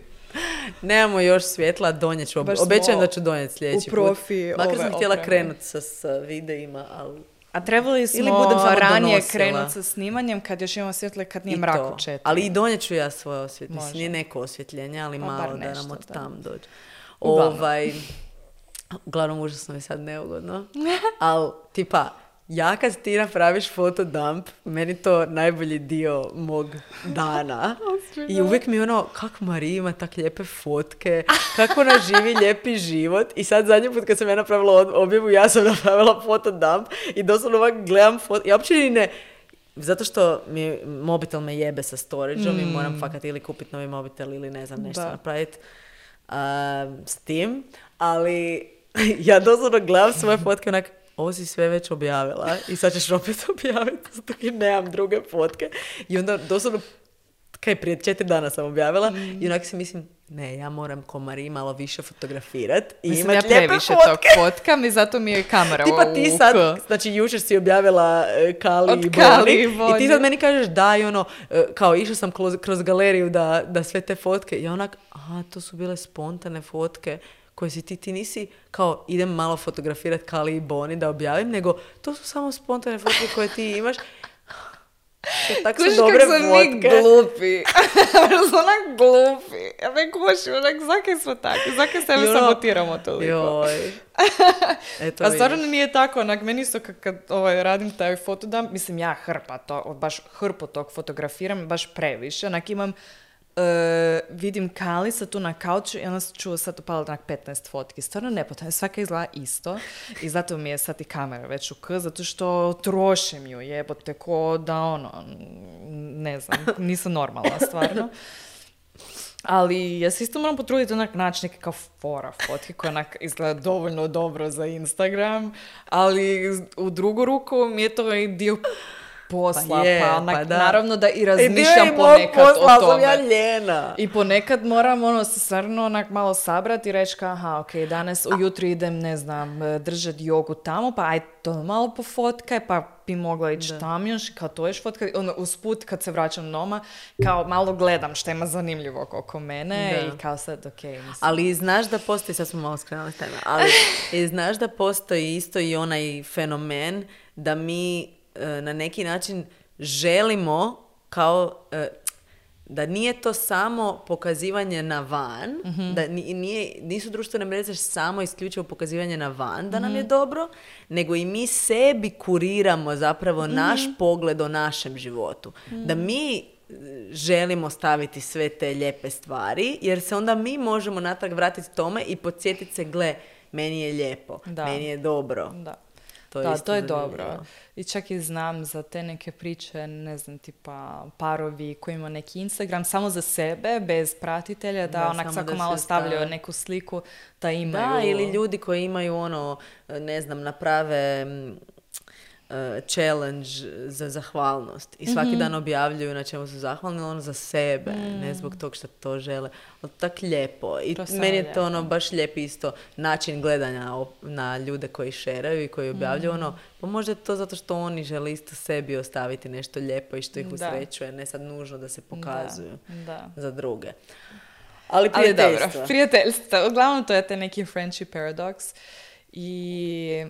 Nemamo još svjetla, donijet ću. Obećajem da ću donijeti sljedeći put. Makar sam htjela krenuti sa videima, ali... A trebali smo ranije krenuti sa snimanjem kad još imamo svjetle, kad nije mrak u 4. Ali i donijet ću ja svoje osvjetljenje. Nije neko osvjetljenje, ali malo nešto, da nam od tam dođe. Uglavnom, užasno je sad neugodno. Ali, tipa, ja kad ti napraviš fotodump, meni to najbolji dio mog dana. I uvijek mi kako Marija ima tak lijepe fotke, kako ona živi lijepi život. I sad zadnji put kad sam ja napravila objavu, ja sam napravila fotodump i doslovno ovak gledam ja uopće ni ne... Zato što mobitel me jebe sa storageom i moram fakat ili kupiti novi mobitel ili ne znam nešto napraviti s tim. Ali ja doslovno gledam svoje fotke onak, ovo si sve već objavila i sad ćeš opet objaviti, zato jer nemam druge fotke. I onda doslovno, prije 4 dana sam objavila i onak si mislim, ne, ja moram ko Marija malo više fotografirati i mislim, imati ja lijepe previše fotke. tog fotkam i zato mi je kamera Tipa ti sad, znači jučer si objavila Kali i Boni i ti sad meni kažeš da i kao išla sam kroz galeriju da sve te fotke i onak, to su bile spontane fotke koje si ti nisi kao idem malo fotografirati Kali i Boni da objavim, nego to su samo spontane fotke koje ti imaš. Tako su dobre fotke. Kužiš kako mi glupi. Onak glupi. Ja me kušim, onak zakaj smo takvi, zakaj sebe sabotiramo toliko. Joj. Eto, a stvarno nije tako, onak meni isto kad radim taj fotodump, mislim ja baš hrpu tog fotografiram, baš previše, onak imam vidim Kalisa tu na kauču i onda ću sad upala onak 15 fotki. Stvarno nepotrebno, svaka izgleda isto i zato mi je sad i kamera već u k, zato što trošim ju, jebote, ko da ne znam, nisam normalna stvarno. Ali ja se isto moram potruditi onak naći neke kao fotke koje onak izgleda dovoljno dobro za Instagram, ali u drugu ruku mi je to i dio posla, naravno da i razmišljam ponekad o tome. Ja ljena. I ponekad moram se stvarno onak malo sabrati i reći danas ujutro idem, ne znam, držati jogu tamo, pa aj to malo pofotkaj, pa bi mogla ići tam još, kao to još fotkaj. Usput kad se vraćam doma, kao malo gledam šta ima zanimljivo oko mene i kao sad, mislim. Ali znaš da postoji, sad smo malo skrenuli teme, ali znaš da postoji isto i onaj fenomen da mi na neki način želimo kao da nije to samo pokazivanje na van, da nisu društvene mreže samo isključivo pokazivanje na van da nam je dobro, nego i mi sebi kuriramo zapravo naš pogled o našem životu. Da mi želimo staviti sve te lijepe stvari, jer se onda mi možemo natrag vratiti tome i podsjetiti se, gle, meni je lijepo, meni je dobro. Da. To je dobro. I čak i znam za te neke priče, ne znam, tipa parovi koji imaju neki Instagram samo za sebe, bez pratitelja, da onak svako malo stavljaju neku sliku da imaju... Da, ili ljudi koji imaju ne znam, naprave challenge za zahvalnost i svaki dan objavljuju na čemu su zahvalni, za sebe, ne zbog tog što to žele. Tak lijepo. I meni je to baš lijep isto način gledanja na ljude koji šeraju i koji objavljuju pa možda je to zato što oni žele isto sebi ostaviti nešto lijepo i što ih usrećuje, ne sad nužno da se pokazuju za druge. Ali prijateljstva. Prijateljstva. Uglavnom to je te neki friendship paradox i...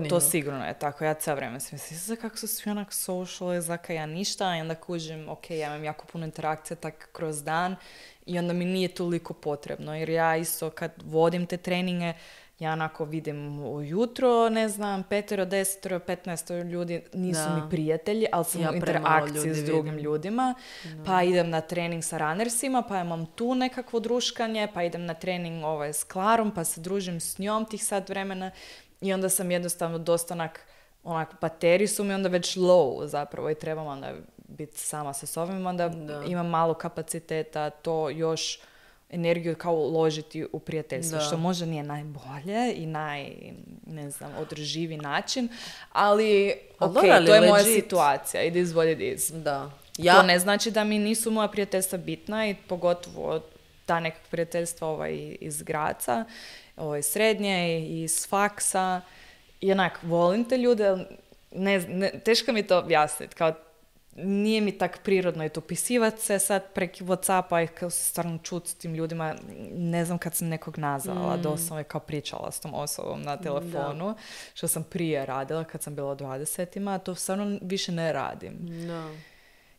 To sigurno je tako. Ja cijelo vrijeme sam mislila kako su svi onak social, zaka ja ništa i onda kužim, ja imam jako puno interakcija tak kroz dan i onda mi nije toliko potrebno. Jer ja isto kad vodim te treninge, ja onako vidim ujutro, ne znam, 5, 10, 15 ljudi nisu mi prijatelji, ali sam u interakciji s drugim ljudima. Pa idem na trening sa runnersima, pa imam tu nekakvo druškanje, pa idem na trening s Klarom, pa se družim s njom tih sat vremena. I onda sam jednostavno dosta onak bateriji su mi onda već low zapravo i trebam onda biti sama sa sobom, onda imam malo kapaciteta to još energiju kao uložiti u prijateljstvo, što možda nije najbolje i ne znam, održivi način, ali to je moja situacija, it is what it is. Da. To ne znači da mi nisu moja prijateljstva bitna i pogotovo ta neka prijateljstva iz Graca, srednje i iz faksa i onak, volim te ljude, teško mi to objasniti, kao nije mi tak prirodno i to pisivati se sad preko Whatsappa i kao se stvarno čuti s tim ljudima, ne znam kad sam nekog nazvala, doslovno je kao pričala s tom osobom na telefonu, što sam prije radila kad sam bila u 20-ima, to stvarno više ne radim.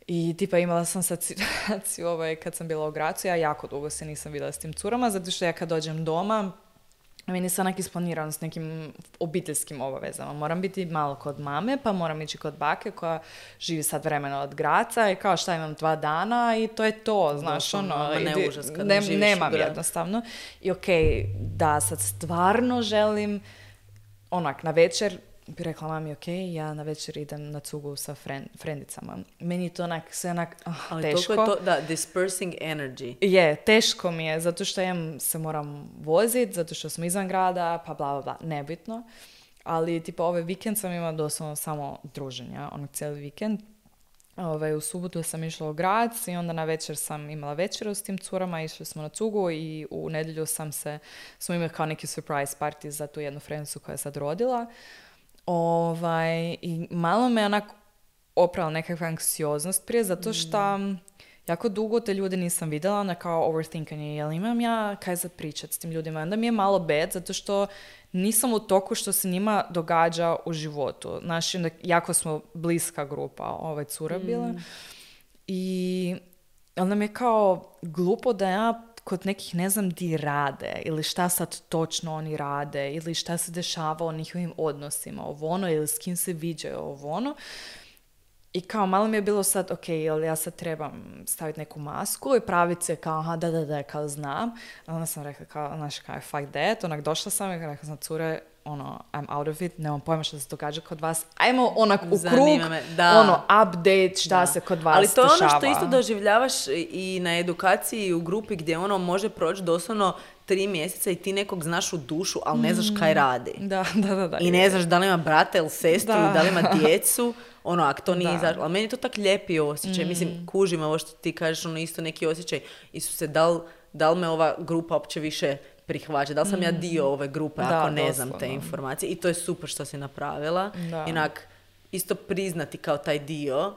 I tipa imala sam sad situaciju kad sam bila u Gracu, ja jako dugo se nisam vidjela s tim curama, zato što ja kad dođem doma, meni se onak isplanirano s nekim obiteljskim obavezama. Moram biti malo kod mame, pa moram ići kod bake koja živi sad vremena od Graca i kao šta imam 2 dana i to je to, znaš, ne užas kad ne živiš nemam u gradu. jednostavno. I da, sad stvarno želim, onak, na večer bi rekla mami, ja na večer idem na cugu sa frendicama. Meni to onak, sve onak, ali teško. Ali toliko je to, da, dispersing energy. Je, teško mi je, zato što se moram voziti, zato što smo izvan grada, pa bla, bla, bla, nebitno. Ali, tipa, ovaj vikend sam imala doslovno samo druženja, cijeli vikend. U subotu sam išla u Grac i onda na večer sam imala večeru s tim curama, išli smo na cugu i u nedjelju smo imali kao neki surprise party za tu jednu frendicu koja je sad rodila. I malo me onak oprala nekakva anksioznost prije, zato što jako dugo te ljude nisam vidjela, na kao overthinkanje, jel imam ja kaj za pričat s tim ljudima. Onda mi je malo bad, zato što nisam u toku što se njima događa u životu. Znači, jako smo bliska grupa, cura bila. I onda mi je kao glupo da ja kod nekih ne znam di rade ili šta sad točno oni rade ili šta se dešava u njihovim odnosima, ili s kim se viđaju, I kao malo mi je bilo sad, jel ja sad trebam staviti neku masku i praviti se kao, da, kao znam. A onda sam rekla kao, znaš, kao, fuck that. Onak, došla sam i rekla sam, cure, I'm out of it, nemam pojma što se događa kod vas. Ajmo onak u krug, update šta se kod vas dešava. Ali to je ono što isto doživljavaš i na edukaciji u grupi gdje može proći doslovno 3 mjeseca i ti nekog znaš u dušu, ali ne znaš kaj radi. Da. I ne znaš da li ima brata ili sestru, da li ima djecu. Ako to nije izašlo. Ali meni je to tak lijepi osjećaj. Mislim, kužim ovo što ti kažeš, isto neki osjećaj. Isuse, da li me ova grupa uopće više prihvaća? Da li sam ja dio ove grupe ako ne znam te informacije? I to je super što si napravila. Inak, isto priznati kao taj dio.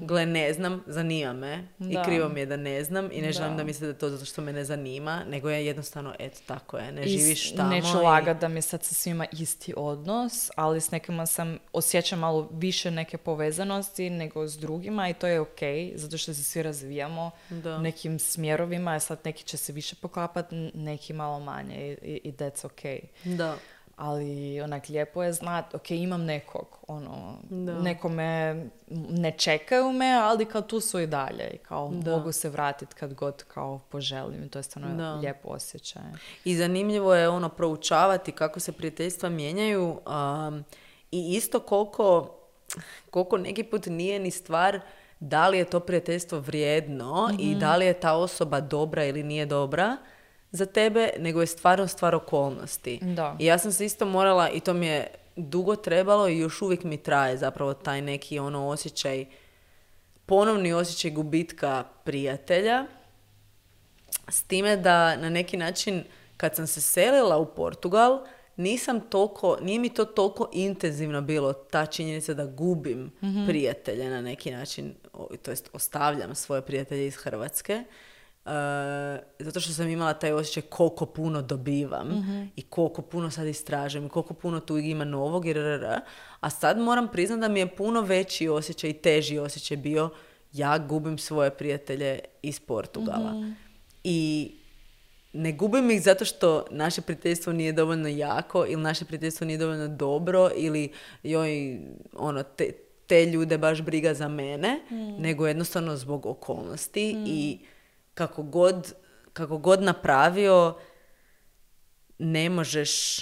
Gle, ne znam, zanima me. I krivo mi je da ne znam. I ne želim da misle da je to zato što me ne zanima. Nego je jednostavno, eto, tako je. Ne živiš tamo. Neću lagati da mi sad sa svima isti odnos, ali s nekima osjećam malo više neke povezanosti nego s drugima i to je zato što se svi razvijamo nekim smjerovima, a sad neki će se više poklapati, neki malo manje i that's Da. Ali onak lijepo je znati, imam nekog, neko me, ne čekaju me, ali kao tu su i dalje i kao mogu se vratiti kad god kao poželim i to je stvarno lijepo osjećaj. I zanimljivo je proučavati kako se prijateljstva mijenjaju i isto koliko neki put nije ni stvar da li je to prijateljstvo vrijedno i da li je ta osoba dobra ili nije dobra za tebe, nego je stvar okolnosti. Da. I ja sam se isto morala, i to mi je dugo trebalo i još uvijek mi traje zapravo taj neki osjećaj, ponovni osjećaj gubitka prijatelja, s time da na neki način kad sam se selila u Portugal, nije mi to toliko intenzivno bilo, ta činjenica da gubim prijatelje na neki način, to jest ostavljam svoje prijatelje iz Hrvatske, zato što sam imala taj osjećaj koliko puno dobivam i koliko puno sad istražujem i koliko puno tu ima novog a sad moram priznati da mi je puno veći osjećaj i teži osjećaj bio ja gubim svoje prijatelje iz Portugala i ne gubim ih zato što naše prijateljstvo nije dovoljno jako ili naše prijateljstvo nije dovoljno dobro ili te ljude baš briga za mene, nego jednostavno zbog okolnosti i kako god napravio, ne možeš,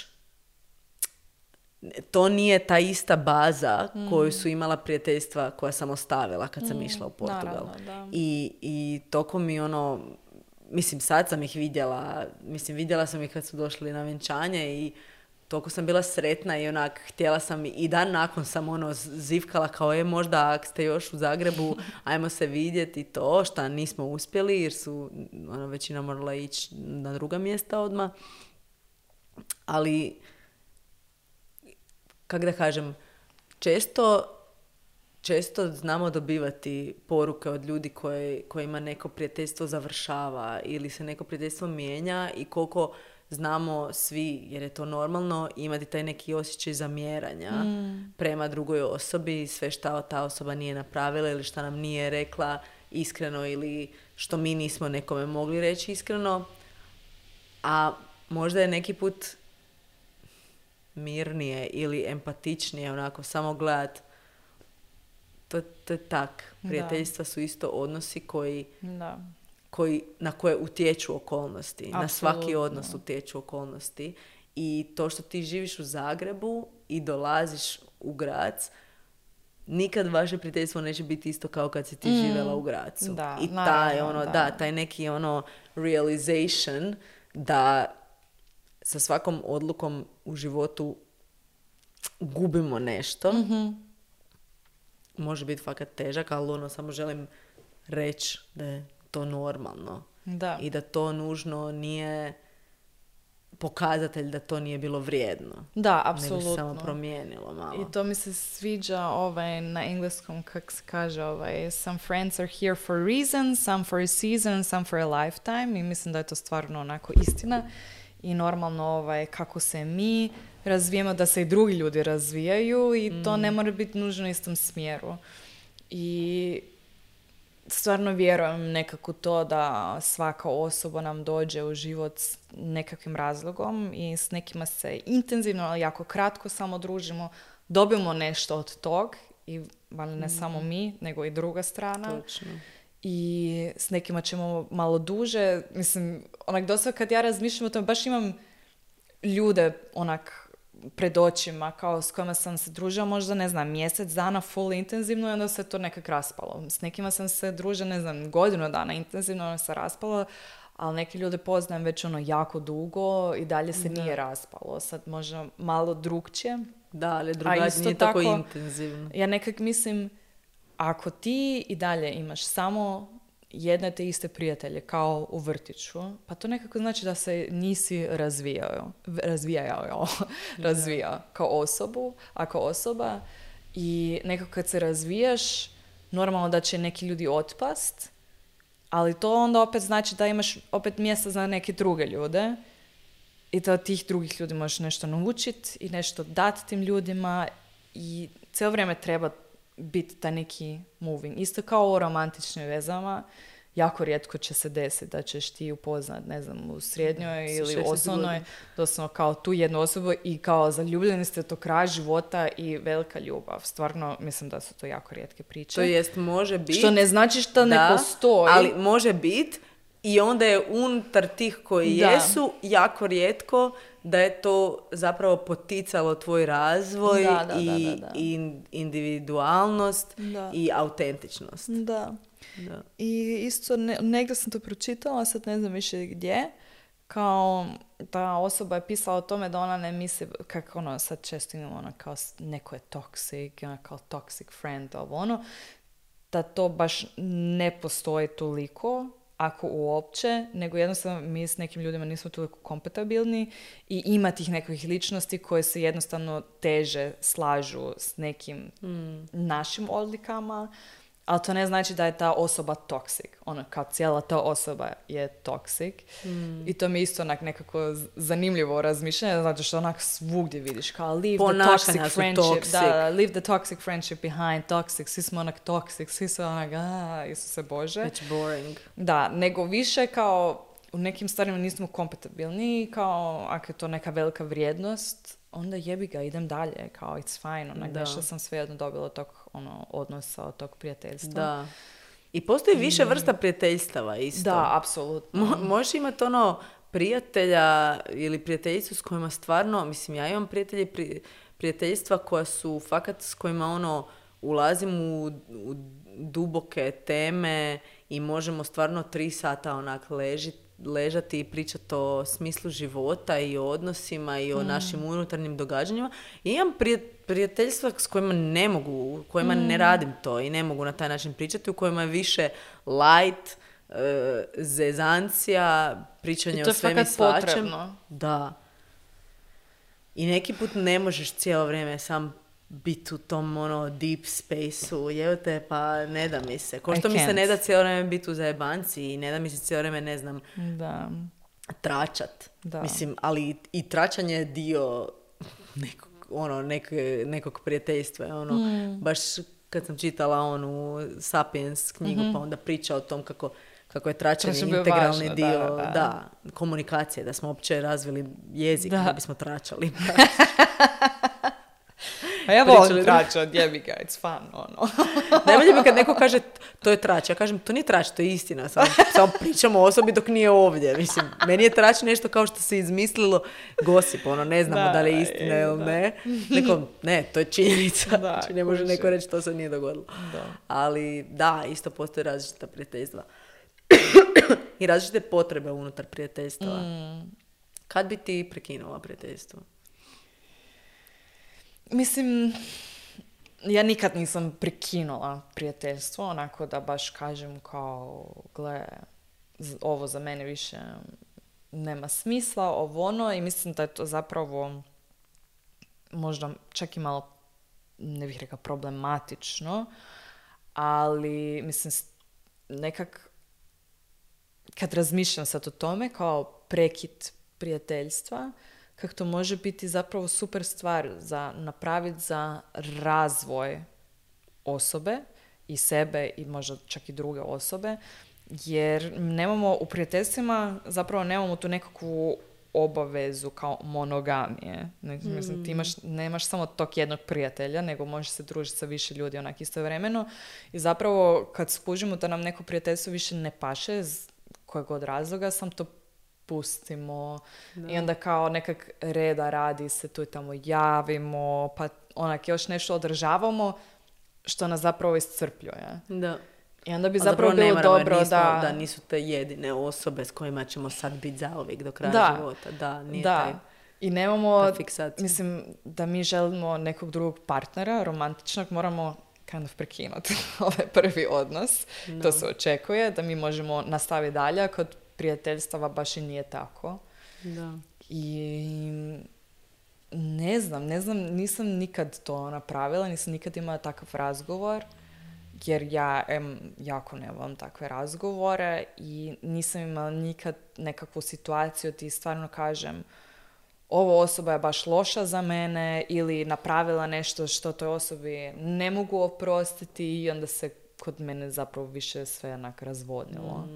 to nije ta ista baza koju su imala prijateljstva koja sam ostavila kad sam išla u Portugal. Naravno, I toko mi mislim sad sam ih vidjela sam ih kad su došli na vjenčanje i toliko sam bila sretna i onak htjela sam i dan nakon sam zivkala kao možda ako ste još u Zagrebu ajmo se vidjeti to šta nismo uspjeli jer su većina morala ići na druga mjesta odmah. Ali kako da kažem, često znamo dobivati poruke od ljudi kojima neko prijateljstvo završava ili se neko prijateljstvo mijenja i koliko znamo svi, jer je to normalno, imati taj neki osjećaj zamjeranja prema drugoj osobi, sve šta ta osoba nije napravila ili šta nam nije rekla iskreno ili što mi nismo nekome mogli reći iskreno. A možda je neki put mirnije ili empatičnije, onako samo gledat. To je tak. Prijateljstva su isto odnosi na koje utječu okolnosti. Absolutno. Na svaki odnos utječu okolnosti. I to što ti živiš u Zagrebu i dolaziš u Grac, nikad vaše prijateljstvo neće biti isto kao kad si ti živjela u Gracu. Da, i taj neki realization da sa svakom odlukom u životu gubimo nešto. Može biti fakat težak, ali samo želim reći da je to normalno. Da. I da to nužno nije pokazatelj da to nije bilo vrijedno. Da, apsolutno. Nego se samo promijenilo malo. I to mi se sviđa na engleskom, kako se kaže, some friends are here for a reason, some for a season, some for a lifetime. I mislim da je to stvarno onako istina. I normalno kako se mi razvijemo, da se i drugi ljudi razvijaju i to ne mora biti nužno u istom smjeru. I stvarno vjerujem nekako to da svaka osoba nam dođe u život s nekakvim razlogom i s nekima se intenzivno, ali jako kratko samo družimo, dobimo nešto od tog i ne samo mi, nego i druga strana. Točno. I s nekima ćemo malo duže. Mislim, dosta kad ja razmišljam o tome, baš imam ljude pred očima kao s kojima sam se družila možda, ne znam, mjesec dana full intenzivno i onda se to nekak raspalo. S nekima sam se družila, ne znam, godinu dana intenzivno, onda se raspalo, ali neki ljude poznajem već jako dugo i dalje se nije raspalo. Sad možda malo drugčije. Da, ali drugačije nije tako intenzivno. Ja nekak mislim, ako ti i dalje imaš samo jedne te iste prijatelje kao u vrtiću, pa to nekako znači da se nisi razvijao kao osoba i nekako kad se razvijaš, normalno da će neki ljudi otpast, ali to onda opet znači da imaš opet mjesta za neke druge ljude i da od tih drugih ljudi možeš nešto naučiti i nešto dati tim ljudima i cijelo vrijeme treba biti taj neki moving. Isto kao u romantičnim vezama, jako rijetko će se desiti da ćeš ti upoznat, ne znam, u srednjoj ili osnovnoj, doslovno kao tu jednu osobu i kao zaljubljeni ste to kraj života i velika ljubav. Stvarno, mislim da su to jako rijetke priče. To jest, može biti. Što ne znači što ne postoji. Ali može biti i onda je unutar tih koji jesu jako rijetko da je to zapravo poticalo tvoj razvoj i individualnost i autentičnost. Da. I isto negdje sam to pročitala, sad ne znam više gdje, kao ta osoba je pisala o tome da ona ne misli, kako sad često imamo kao neko je toxic, kao toxic friend, da to baš ne postoji toliko, ako uopće, nego jednostavno mi s nekim ljudima nismo toliko kompatibilni i ima tih nekakvih ličnosti koje se jednostavno teže slažu s nekim našim odlikama, ali to ne znači da je ta osoba toxic. Kao cijela ta osoba je toxic. I to mi je isto nekako zanimljivo razmišljanje, zato što svugdje vidiš kao leave the toxic friendship. Da, leave the toxic friendship behind, toxic. Svi smo toxic, svi su Isuse Bože. It's boring. Da, nego više kao u nekim stvarima nismo kompatibilni, kao ako je to neka velika vrijednost, onda jebi ga, idem dalje, kao it's fine, nešto sam svejedno dobila tog odnosa, od tog prijateljstva. Da. I postoji više vrsta prijateljstava isto. Da, apsolutno. Možeš imati prijatelja ili prijateljicu s kojima stvarno, mislim, ja imam prijateljstva koja su fakat s kojima ulazim u duboke teme i možemo stvarno 3 sata ležati i pričati o smislu života i o odnosima i o našim unutarnjim događanjima. I imam prijateljstva s kojima ne mogu, kojima ne radim to i ne mogu na taj način pričati, u kojima je više light, zezancija, pričanje o svem i svačem. Potrebno. Da. I neki put ne možeš cijelo vrijeme sam biti u tom deep space-u, te pa ne da mi se. Ko što mi se ne da cijelo vrijeme biti u zajebanci i ne da mi se cijelo vrijeme, ne znam, tračat. Da. Mislim, ali i tračanje je dio nekog prijateljstva. Baš kad sam čitala onu Sapiens knjigu, pa onda priča o tom kako je tračanje integralni dio komunikacije, da smo uopće razvili jezik da bismo tračali. A ja volim trač od jebi ga, it's fun, ono. Najbolje mi kad neko kaže to je trač, ja kažem to nije trač, to je istina, samo pričamo o osobi dok nije ovdje. Mislim, meni je trač nešto kao što se izmislilo gosip, ono, ne znamo da li je istina ili ne. Ne, to je činjenica. Znači, ne može neko reći to se nije dogodilo. Da. Ali da, isto postoje različita prijateljstva. I različite potrebe unutar prijateljstva. Kad bi ti prekinula prijateljstvo? Mislim, ja nikad nisam prekinula prijateljstvo, onako da baš kažem kao, gle, ovo za mene više nema smisla, ovo ono, i mislim da je to zapravo možda čak i malo, ne bih rekla problematično, ali mislim nekak kad razmišljam sad o tome kao prekid prijateljstva, kako to može biti zapravo super stvar za napraviti za razvoj osobe i sebe i možda čak i druge osobe, jer nemamo u prijateljstvima, zapravo nemamo tu nekakvu obavezu kao monogamije. Mislim, ti nemaš samo tog jednog prijatelja, nego možeš se družiti sa više ljudi onak istovremeno i zapravo kad skužimo da nam neko prijateljstvo više ne paše iz kojeg god razloga, sam to pustimo i onda kao nekak reda radi se tu i tamo javimo, pa onak još nešto održavamo što nas zapravo iscrpljuje. Da. I onda bi zapravo bilo dobro da nisu te jedine osobe s kojima ćemo sad biti zauvijek do kraja života. Da, nije taj. I nemamo, mislim, da mi želimo nekog drugog partnera, romantičnog, moramo kind of prekinuti ovaj prvi odnos. No. To se očekuje, da mi možemo nastaviti dalje, a kod prijateljstava baš i nije tako. Da. I ne znam, nisam nikad to napravila, nisam nikad imala takav razgovor, jer ja jako ne volim takve razgovore i nisam imala nikad nekakvu situaciju ti stvarno kažem ovo osoba je baš loša za mene ili napravila nešto što toj osobi ne mogu oprostiti i onda se kod mene zapravo više sve onak razvodnilo.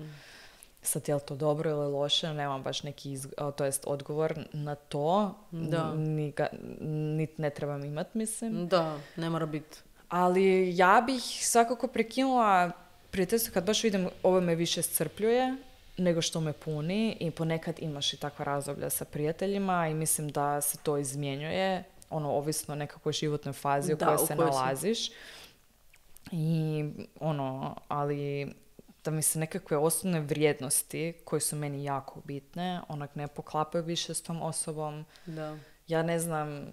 Sad je li to dobro ili loše, nemam baš neki odgovor na to. Da. Niti ne trebam imat, mislim. Da, ne mora biti. Ali ja bih svakako prekinula prijateljstvo kad baš vidim ovo me više iscrpljuje nego što me puni i ponekad imaš i takva razdoblja sa prijateljima i mislim da se to izmjenjuje, ovisno o nekakvoj životnoj fazi u kojoj se nalaziš. I ali da mi se nekakve osnovne vrijednosti koje su meni jako bitne, onak ne poklapaju više s tom osobom. Da. Ja ne znam,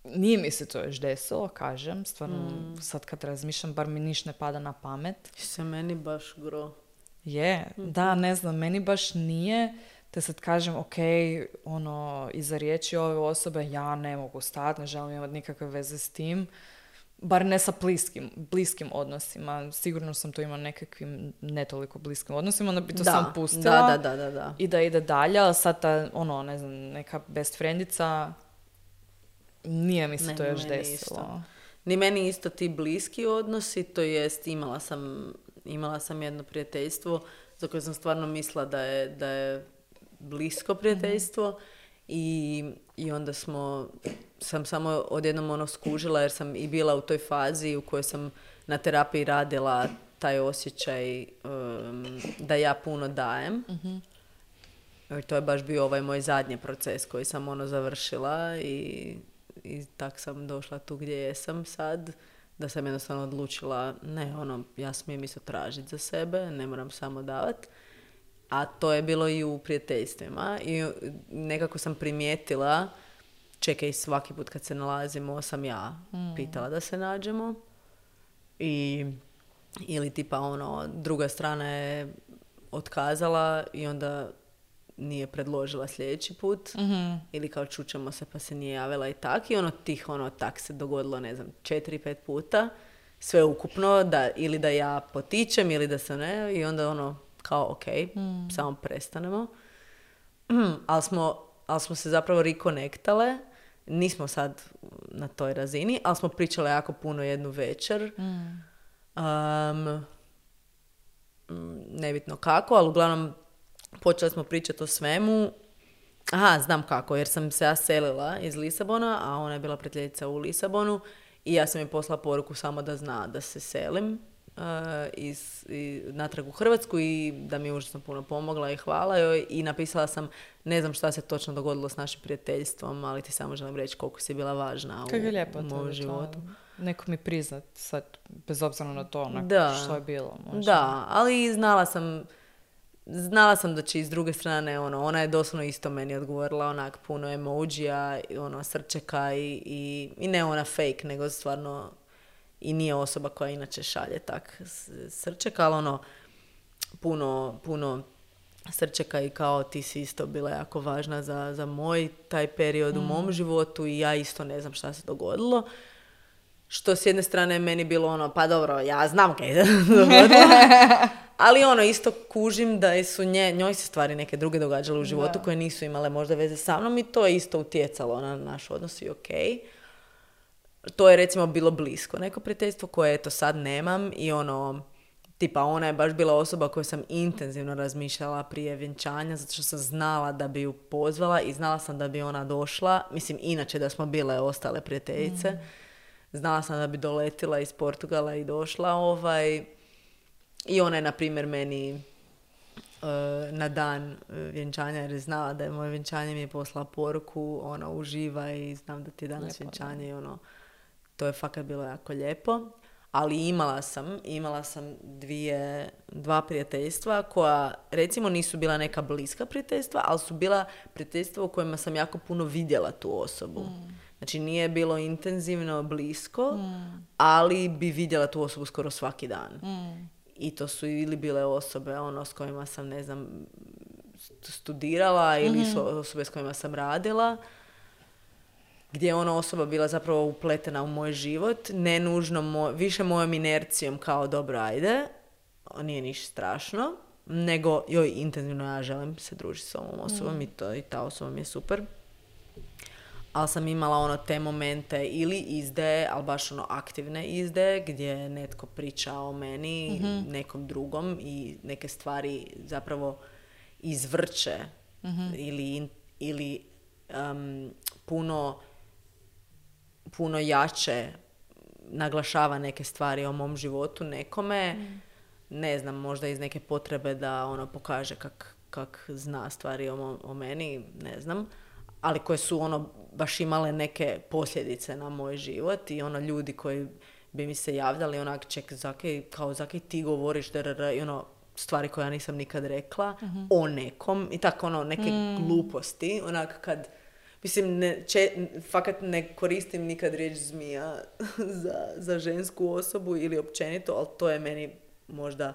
nije mi se to još desilo, kažem, stvarno sad kad razmišljam, bar mi niš ne pada na pamet. Se meni baš gro. Da, ne znam, meni baš nije, te sad kažem, ok, iza riječi ove osobe ja ne mogu stati, ne želim imati nikakve veze s tim, bar ne sa bliskim odnosima. Sigurno sam to imala nekakvim ne toliko bliskim odnosima, onda bi to sam pustila da. I da ide dalje, ali sad ta, ne znam, neka best friendica, nije mi se to još desilo. Ni meni isto ti bliski odnosi, to jest imala sam jedno prijateljstvo za koje sam stvarno mislila da je blisko prijateljstvo i onda sam samo odjednom skužila jer sam i bila u toj fazi u kojoj sam na terapiji radila taj osjećaj da ja puno dajem. To je baš bio ovaj moj zadnji proces koji sam završila i tak sam došla tu gdje jesam sad, da sam jednostavno odlučila ja smijem isto tražiti za sebe, ne moram samo davati. A to je bilo i u prijateljstvima i nekako sam primijetila, čekaj, svaki put kad se nalazimo sam ja pitala da se nađemo ili tipa druga strana je otkazala i onda nije predložila sljedeći put ili kao čućemo se pa se nije javila i tak i tak se dogodilo 4-5 puta sve ukupno ili da ja potičem ili da se ne i onda kao ok, samo prestanemo. Ali smo se zapravo rekonektale, nismo sad na toj razini, ali smo pričale jako puno jednu večer. Nebitno kako, ali uglavnom počeli smo pričati o svemu Aha, znam kako, jer sam se ja selila iz Lisabona, a ona je bila prijateljica u Lisabonu i ja sam joj poslala poruku samo da zna da se selim natrag u Hrvatsku i da mi je užasno puno pomogla i hvala joj i napisala sam, ne znam šta se točno dogodilo s našim prijateljstvom, ali ti samo želim reći koliko si bila važna u mom životu. Neko mi priznat sad, bez obzira na to što je bilo. Možda. Da, ali znala sam da će iz druge strane, ona je doslovno isto meni odgovorila, onak puno emojija, srčeka i ne ona fake, nego stvarno i nije osoba koja inače šalje tak srčeka, ali puno srčeka i kao ti si isto bila jako važna za moj taj period u mom životu i ja isto ne znam šta se dogodilo. Što s jedne strane meni bilo pa dobro, ja znam kaj se dogodilo. Ali isto kužim da su njoj se stvari neke druge događale u životu koje nisu imale možda veze sa mnom i to je isto utjecalo na naš odnos i okej. To je recimo bilo blisko. Neko prijateljstvo koje eto sad nemam i tipa ona je baš bila osoba koju sam intenzivno razmišljala prije vjenčanja zato što sam znala da bi ju pozvala i znala sam da bi ona došla. Mislim, inače da smo bile ostale prijateljice. Znala sam da bi doletila iz Portugala i došla i ona je, na primjer, meni na dan vjenčanja, jer je znala da je moje vjenčanje, mi je poslala poruku, uživa i znam da ti je danas vjenčanje i to je fakat bilo jako lijepo. Ali imala sam dva prijateljstva koja, recimo, nisu bila neka bliska prijateljstva, ali su bila prijateljstva u kojima sam jako puno vidjela tu osobu. Znači, nije bilo intenzivno blisko, ali bi vidjela tu osobu skoro svaki dan. I to su ili bile osobe s kojima sam, ne znam, studirala ili su osobe s kojima sam radila, gdje je osoba bila zapravo upletena u moj život, ne nužno više mojom inercijom kao dobro, ajde, nije ništa strašno, nego joj intenzivno ja želim se družiti s ovom osobom i ta osoba mi je super. Ali sam imala te momente ili izdaje, ali baš aktivne izdaje, gdje netko priča o meni, nekom drugom i neke stvari zapravo izvrće ili puno jače naglašava neke stvari o mom životu nekome, ne znam, možda iz neke potrebe da pokaže kak zna stvari o meni, ne znam, ali koje su baš imale neke posljedice na moj život i ljudi koji bi mi se javljali ček, zakaj ti govoriš i stvari koje ja nisam nikad rekla o nekom i tako neke gluposti, kad mislim, fakat ne koristim nikad riječ zmija za žensku osobu ili općenito, ali to je meni možda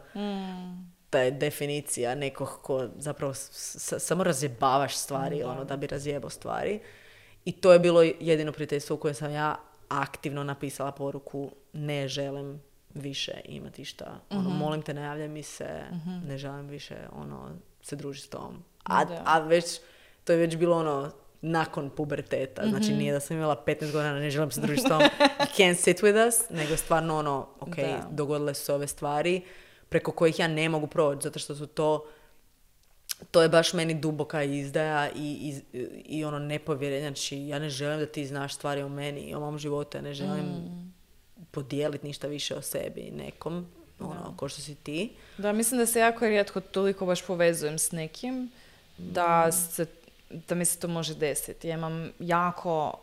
ta je definicija nekog ko zapravo samo razjebavaš stvari, da bi razjebao stvari. I to je bilo jedino prijateljstvo u kojem sam ja aktivno napisala poruku ne želim više imati šta. Molim te, ne javljaj mi se, ne želim više se družiti s tom. A već, to je već bilo nakon puberteta. Znači nije da sam imala 15 godina, ne želim se družiti s tom, you can't sit with us, nego stvarno dogodile su se ove stvari preko kojih ja ne mogu proći, zato što su to je baš meni duboka izdaja i nepovjerenje. Znači, ja ne želim da ti znaš stvari o meni i o mom životu, ja ne želim podijeliti ništa više o sebi nekom, ko što si ti. Da, mislim da se jako rijetko toliko baš povezujem s nekim, da mi se to može desiti. Ja imam jako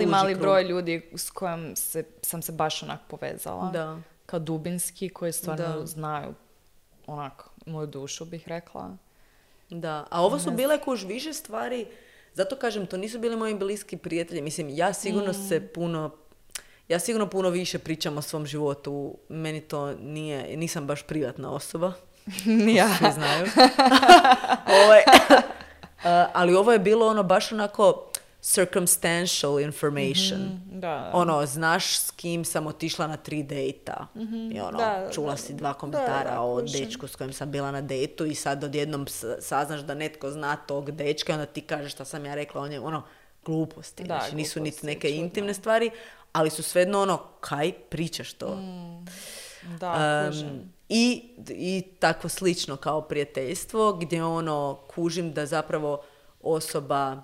mali broj ljudi s kojim sam se baš povezala. Da. Kao dubinski, koji stvarno znaju moju dušu, bih rekla. Da, a ovo su bile više stvari, zato kažem, to nisu bili moji bliski prijatelji. Mislim, ja sigurno puno više pričam o svom životu. Meni to nisam baš privatna osoba. Ja. Svi znaju. Ali ovo je bilo baš circumstantial information. Da. Znaš s kim sam otišla na 3 dejta. I čula si 2 komentara o dečku s kojim sam bila na dejtu i sad odjednom saznaš da netko zna tog dečka i onda ti kažeš šta sam ja rekla o njemu. Gluposti. Da, znači, nisu niti neke intimne stvari, ali su svejedno kaj pričaš to. Da, I tako slično kao prijateljstvo gdje kužim da zapravo osoba,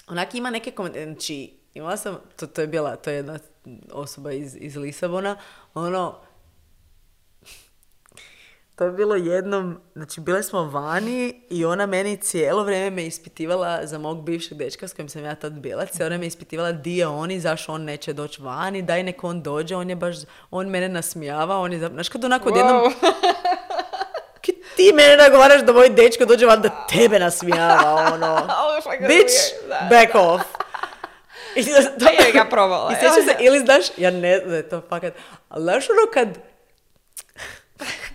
onak ima neke znači, imala sam, to je jedna osoba iz Lisabona, to je bilo jednom, znači bile smo vani i ona meni cijelo vrijeme me ispitivala za mog bivšeg dečka s kojim sam ja tad bila. Cijelo vrijeme me ispitivala di je on i zašto on neće doći vani, daj nek on dođe, on mene nasmijava, znaš kad onako odjednom... Ti mene nagovaraš da moj dečko dođe van da tebe nasmijava, bitch, back off. Da je ga probala. I sjećam se, ili znaš, ja ne znam da je to fakat, ali znaš kad...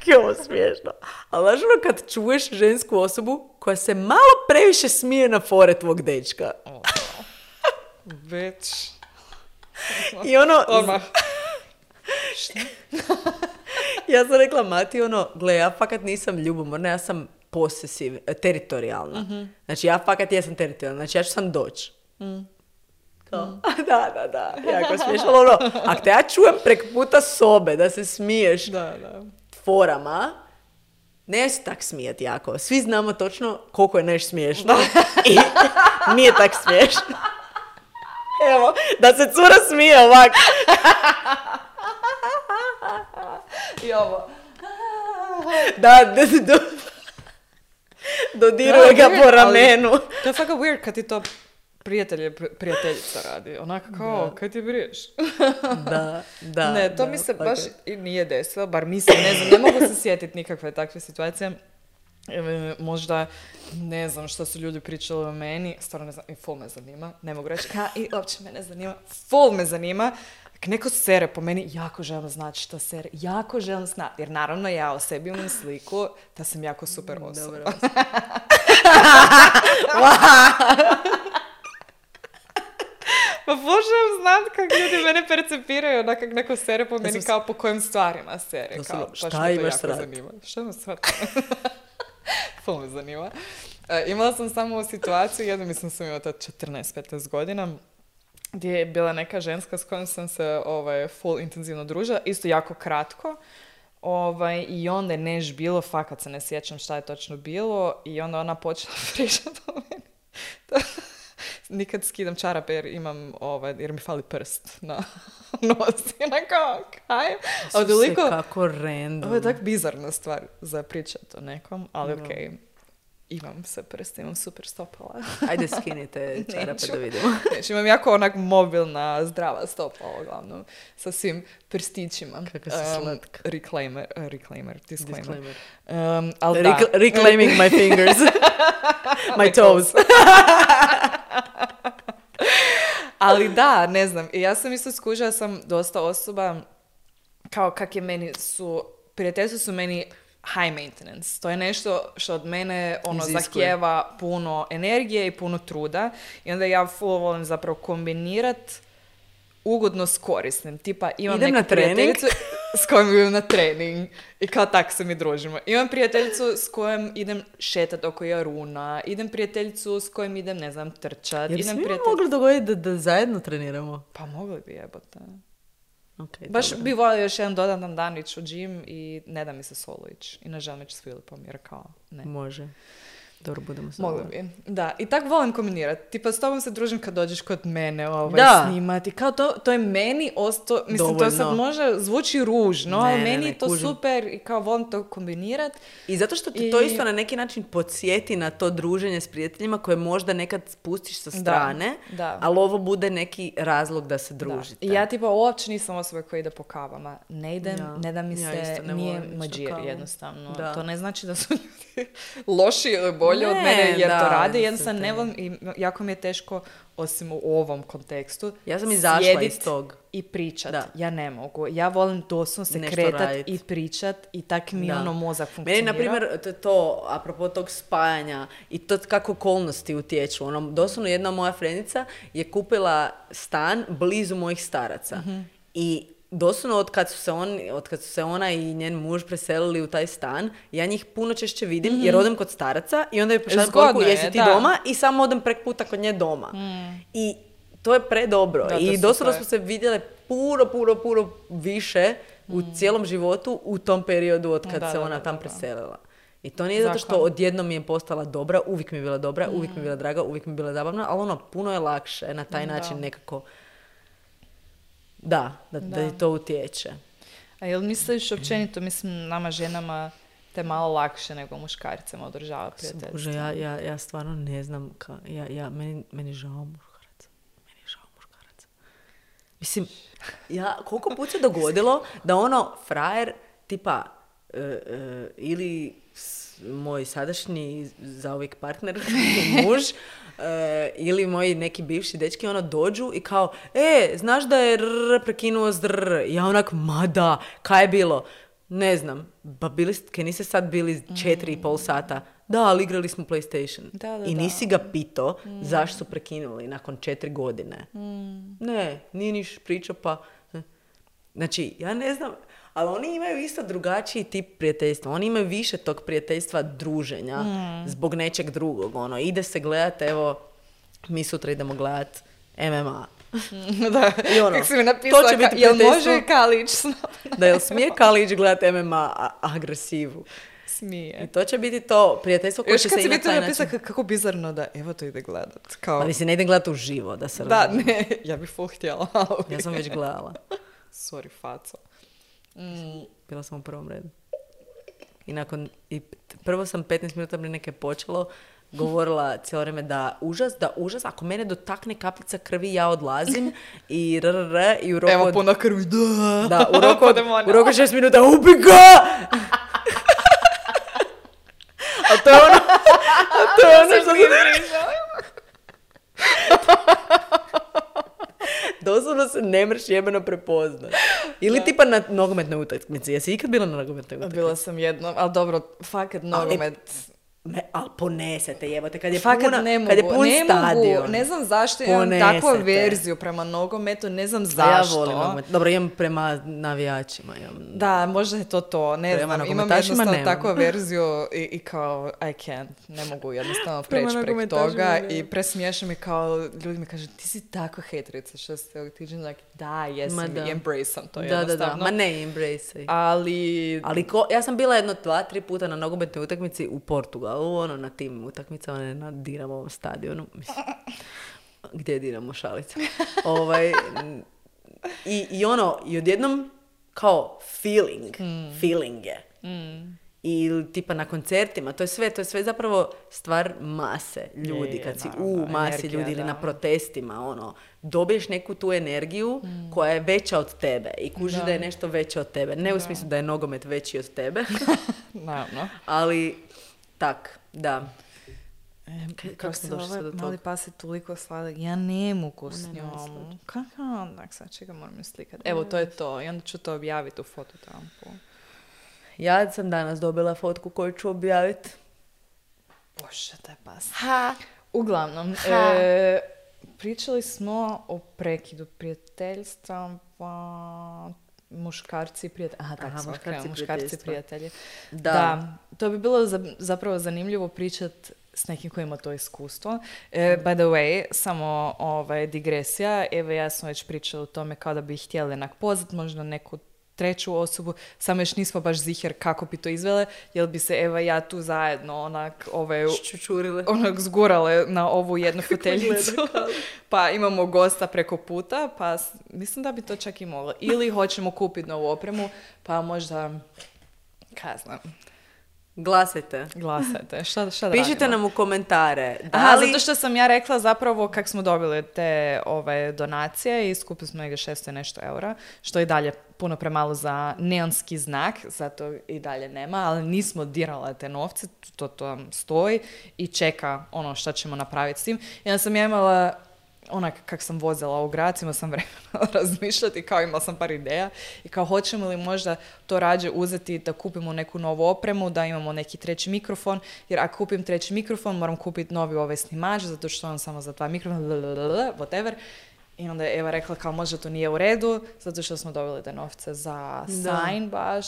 je ovo smiješno. Ali znaš kad čuješ žensku osobu koja se malo previše smije na fore tvog dečka. Bitch. I Odmah. Šta? Ja sam rekla Mati, gle, ja fakat nisam ljubomorna, ja sam teritorijalna. Mm-hmm. Znači, ja fakat jesam teritorijalna. Znači, ja ću sam doći. Da, jako smiješno. Ako te ja čujem prek puta sobe da se smiješ forama, ne se tak smijeti jako. Svi znamo točno koliko je nešto smiješno i nije tak smiješno. Evo, da se cura smije ovak. I ovo. Da, dodiruje ga po ramenu. To je fakat weird kad ti to prijateljica radi. Onako kao, kaj ti briješ? Da. Ne, to mi se baš i nije desilo, bar mislim, ne znam, ne mogu se sjetiti nikakve takve situacije. Možda, ne znam što su ljudi pričali o meni, stvarno ne znam, i ful me zanima, ne mogu reći, i uopće me ne zanima, ful me zanima. Ako neko sere po meni, jako želim znati što sere, jako želim znati, jer naravno ja o sebi imam sliku da sam jako super osoba. Pa možem znat kako ljudi mene percepiraju, onak kak neko sere po meni, kao po kojim stvarima sere. Kao, šta imaš srat? Šta imaš srat? Ful me zanima. Imala sam samo situaciju, jednom mislim sam imala 14-15 godina, gdje je bila neka ženska s kojom sam se full intenzivno družila, isto jako kratko. I onda je neš bilo, fakat se ne sjećam šta je točno bilo, i onda ona počela pričati o meni. Nikad skidam čarape jer imam, jer mi fali prst na nosi. Kao, kaj? Kako random. Ovo je tak bizarna stvar za pričat o nekom, ali okej. Imam se prst, imam super stopala. Ajde skinite čarape da vidimo. Neću, imam jako onak mobilna, zdrava stopala, uglavnom, sa svim prstićima. Kako se slatka. Disclaimer. Reclaiming my fingers. My toes. Ali da, ne znam. I ja sam isto skužila, sam dosta osoba, kao kak je meni prijateljstvo su meni high maintenance. To je nešto što od mene zahtijeva puno energije i puno truda. I onda ja full volim zapravo kombinirat ugodno s korisnim. Tipa imam neku prijateljicu s kojom idem na trening i kao tak se mi družimo. Imam prijateljicu s kojom idem šetat oko Jaruna, idem prijateljicu s kojom idem, ne znam, trčat. Jer svi mogli dogoditi da zajedno treniramo? Pa mogli bi, jebote. Okay, baš bi volio još jedan dodatan dan ići u džim i ne da mi se solo ići. I ne želim ići s Filipom jer kao ne. Može. Dobro, budemo se. Mogli bi. Da, i tak volim kombinirati. Tipa s tobom se družim kad dođeš kod mene snimati. Kao to je meni ostao, mislim dovoljno. To sad može zvuči ružno, ali meni je to kužim. Super i kao volim to kombinirati. I zato što ti to isto na neki način podsjeti na to druženje s prijateljima koje možda nekad spustiš sa strane, ali ovo bude neki razlog da se družite. Da. Ja tipa uopće nisam osoba koja ide po kavama. Ne idem, ne da mi se, nije mađir jednostavno. Da. To ne znači da su ljudi loši ili bolje od mene jer to rade. Jednostavno ne volim i jako mi je teško, osim u ovom kontekstu, ja sam izašla iz tog. I pričat. Da. Ja ne mogu. Ja volim doslovno se kretat i pričat i tak mi mozak funkcionira. Meni, na primjer, to, apropo tog spajanja i to kako okolnosti utječu. Doslovno jedna moja frendica je kupila stan blizu mojih staraca. Mm-hmm. I doslovno od kad su se ona i njen muž preselili u taj stan, ja njih puno češće vidim jer odem kod staraca i onda je pošaljem poruku jesi ti doma i samo odem prek puta kod nje doma. I to je predobro. I doslovno smo se vidjele puno više u cijelom životu u tom periodu od kad se ona tam preselila. I to nije zato što Zakon. odjednom mi je postala dobra, uvijek mi je bila dobra, uvijek mi je bila draga, uvijek mi je bila zabavna, ali ono, puno je lakše na taj način nekako da ti to utječe. A jel misliš općenito, mislim, nama ženama te malo lakše nego muškarcima održava prijateljstvo? Bože, ja stvarno ne znam, meni je žao muškaraca. Meni je žao muškaraca. Mislim, koliko put se dogodilo da ono, frajer, tipa, ili moj sadašnji zauvijek partner, muž, ili moji neki bivši dečki, ono, dođu i kao, znaš da je prekinuo s ja onak, ma da, kaj je bilo? Ne znam, pa kaj niste sad bili 4,5 sata? Da, ali igrali smo PlayStation. I nisi ga pitao zašto su prekinuli nakon 4 godine. Ne, nije niš pričao, pa... Znači, ja ne znam, ali oni imaju isto drugačiji tip prijateljstva. Oni imaju više tog prijateljstva druženja zbog nečeg drugog. Ono, ide se gledat, evo, mi sutra idemo gledat MMA. Da, i ono, kako si mi napisala, jel može Kalić s nama? Da, jel smije Kalić gledat MMA agresivu? Smije. I to će biti to prijateljstvo koje će se i na taj način... Napisala kako bizarno da evo to ide gledat. Kao... Pa mislim, ne idem gledat uživo, da se Da, razumije. ne, ja bih full htjela. Ja sam već gledala. Sorry, faco. Bila sam u prvom redu. I prvo sam 15 minuta prije neke počelo govorila cijelo vrijeme da užas, ako mene dotakne kapljica krvi, ja odlazim i i u roku Evo puno krvi, da. Da, u roku 6 minuta, ubi ga! A to je ono što doslovno se ne mreš jebeno prepoznat. Ili tipa na nogometnoj utakmici. Jesi ikad bila na nogometnoj utakmici? Bila sam jednom, ali dobro, fakat nogomet... Ali ponesete, jebate, kad je pun ne stadion. Mogu, ne znam zašto imam takvu verziju prema nogometu, ne znam zašto. Ja volim nogomet. Dobro, imam prema navijačima. Da, možda je to, ne znam. Imam jednostavno takvu verziju i kao, I can't, ne mogu jednostavno preći prek toga i presmiješam i kao, ljudi mi kažu, ti si tako hejterica, što ste ovog tiđen, like, da, jesam, i embrace sam to jednostavno. Ma ne, embrace. Ali ja sam bila 2-3 puta na nogometnoj utakmici u Portugalu, ono, na tim utakmicama, ne na Dinamovom stadionu. Mislim, gdje je Dinamo, šalica? I odjednom kao feeling je. I tipa na koncertima, to je sve zapravo stvar mase ljudi, kad si u masi energija, ljudi ili na protestima, ono, dobiješ neku tu energiju koja je veća od tebe i kužiš da je nešto veće od tebe. Ne u smislu da je nogomet veći od tebe, ali tak, da. Kako se mali pas je toliko sladak, ja ne mogu s njom. Kako onak, sad čega moram slikati. Evo, to je to. I onda ću to objaviti u fototampu. Ja sam danas dobila fotku koju ću objaviti. Bože, taj pas. Uglavnom, pričali smo o prekidu prijateljstva, muškarci i prijatelji. Muškarci prijatelji. Da, to bi bilo zapravo zanimljivo pričati s nekim koji ima to iskustvo. By the way, samo digresija. Evo, ja sam već pričala o tome kao da bi htjeli onak pozvati možda neku treću osobu, samo još nismo baš ziher kako bi to izvele, jer bi se Eva i ja tu zajedno onak zgurale na ovu jednu foteljicu. Pa imamo gosta preko puta, pa mislim da bi to čak i moglo. Ili hoćemo kupiti novu opremu, pa možda, kaj znam. Glasajte. Šta da pišite radimo? nam u komentare. Zato što sam ja rekla zapravo kako smo dobili te donacije i skupili smo negdje 600 i nešto eura, što je i dalje puno premalo za neonski znak, zato i dalje nema, ali nismo dirale te novce, to tam stoji i čeka ono što ćemo napraviti s tim. I onda sam ja imala onak kak sam vozila u grad, imala sam vremena razmišljati, kao imala sam par ideja i kao hoćemo li možda to rađe uzeti da kupimo neku novu opremu, da imamo neki treći mikrofon, jer ako kupim treći mikrofon moram kupiti novi snimač, zato što on samo za 2 mikrofona, whatever. I onda je Eva rekla kao možda to nije u redu, zato što smo dobili te novce za sign baš.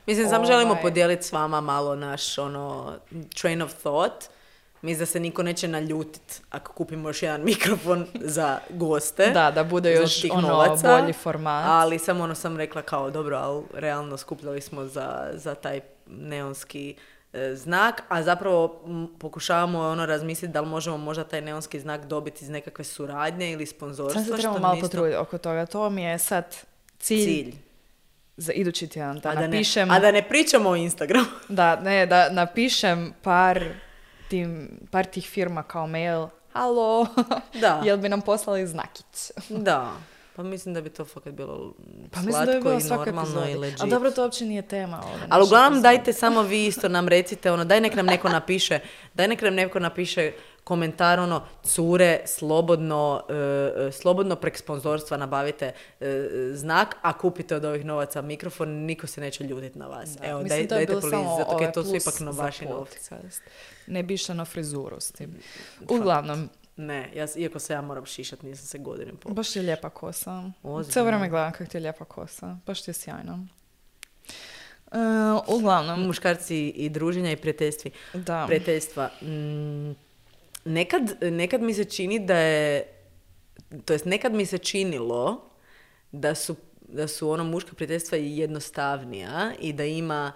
Mislim, samo želimo podijeliti s vama malo naš train of thought. Mislim da se niko neće naljutiti ako kupimo još jedan mikrofon za goste. Da bude još bolji format. Ali samo sam rekla kao dobro, ali realno skupljali smo za taj neonski znak, a zapravo pokušavamo ono razmisliti da li možemo možda taj neonski znak dobiti iz nekakve suradnje ili sponzorstva. Sad se trebamo malo potruditi oko toga. To mi je sad cilj. Za idući tjedan da napišem... A da ne pričamo o Instagramu. Da napišem par tih firma kao mail. Halo, jel bi nam poslali znakić? Da, pa mislim da bi to fakat bilo slatko i normalno i legit. Ali dobro, to uopće nije tema. Ali uglavnom dajte samo vi isto nam recite, daj nek nam neko napiše komentar, cure, slobodno prek sponzorstva nabavite znak, a kupite od ovih novaca mikrofon, niko se neće ljutiti na vas. Da. Evo, dajte please, zato je to su ipak vaši novci. Ne bi išla na frizuru s tim. Uglavnom. Ne, iako se ja moram šišat, nisam se godinama pokušala. Baš ti je lijepa kosa. Cijelo vrijeme gledam kako ti je lijepa kosa. Baš ti je sjajno. Uglavnom. Muškarci i druženja i prijateljstva. Nekad mi se čini da je, to jest nekad mi se činilo da su muška prijateljstva i jednostavnija i da ima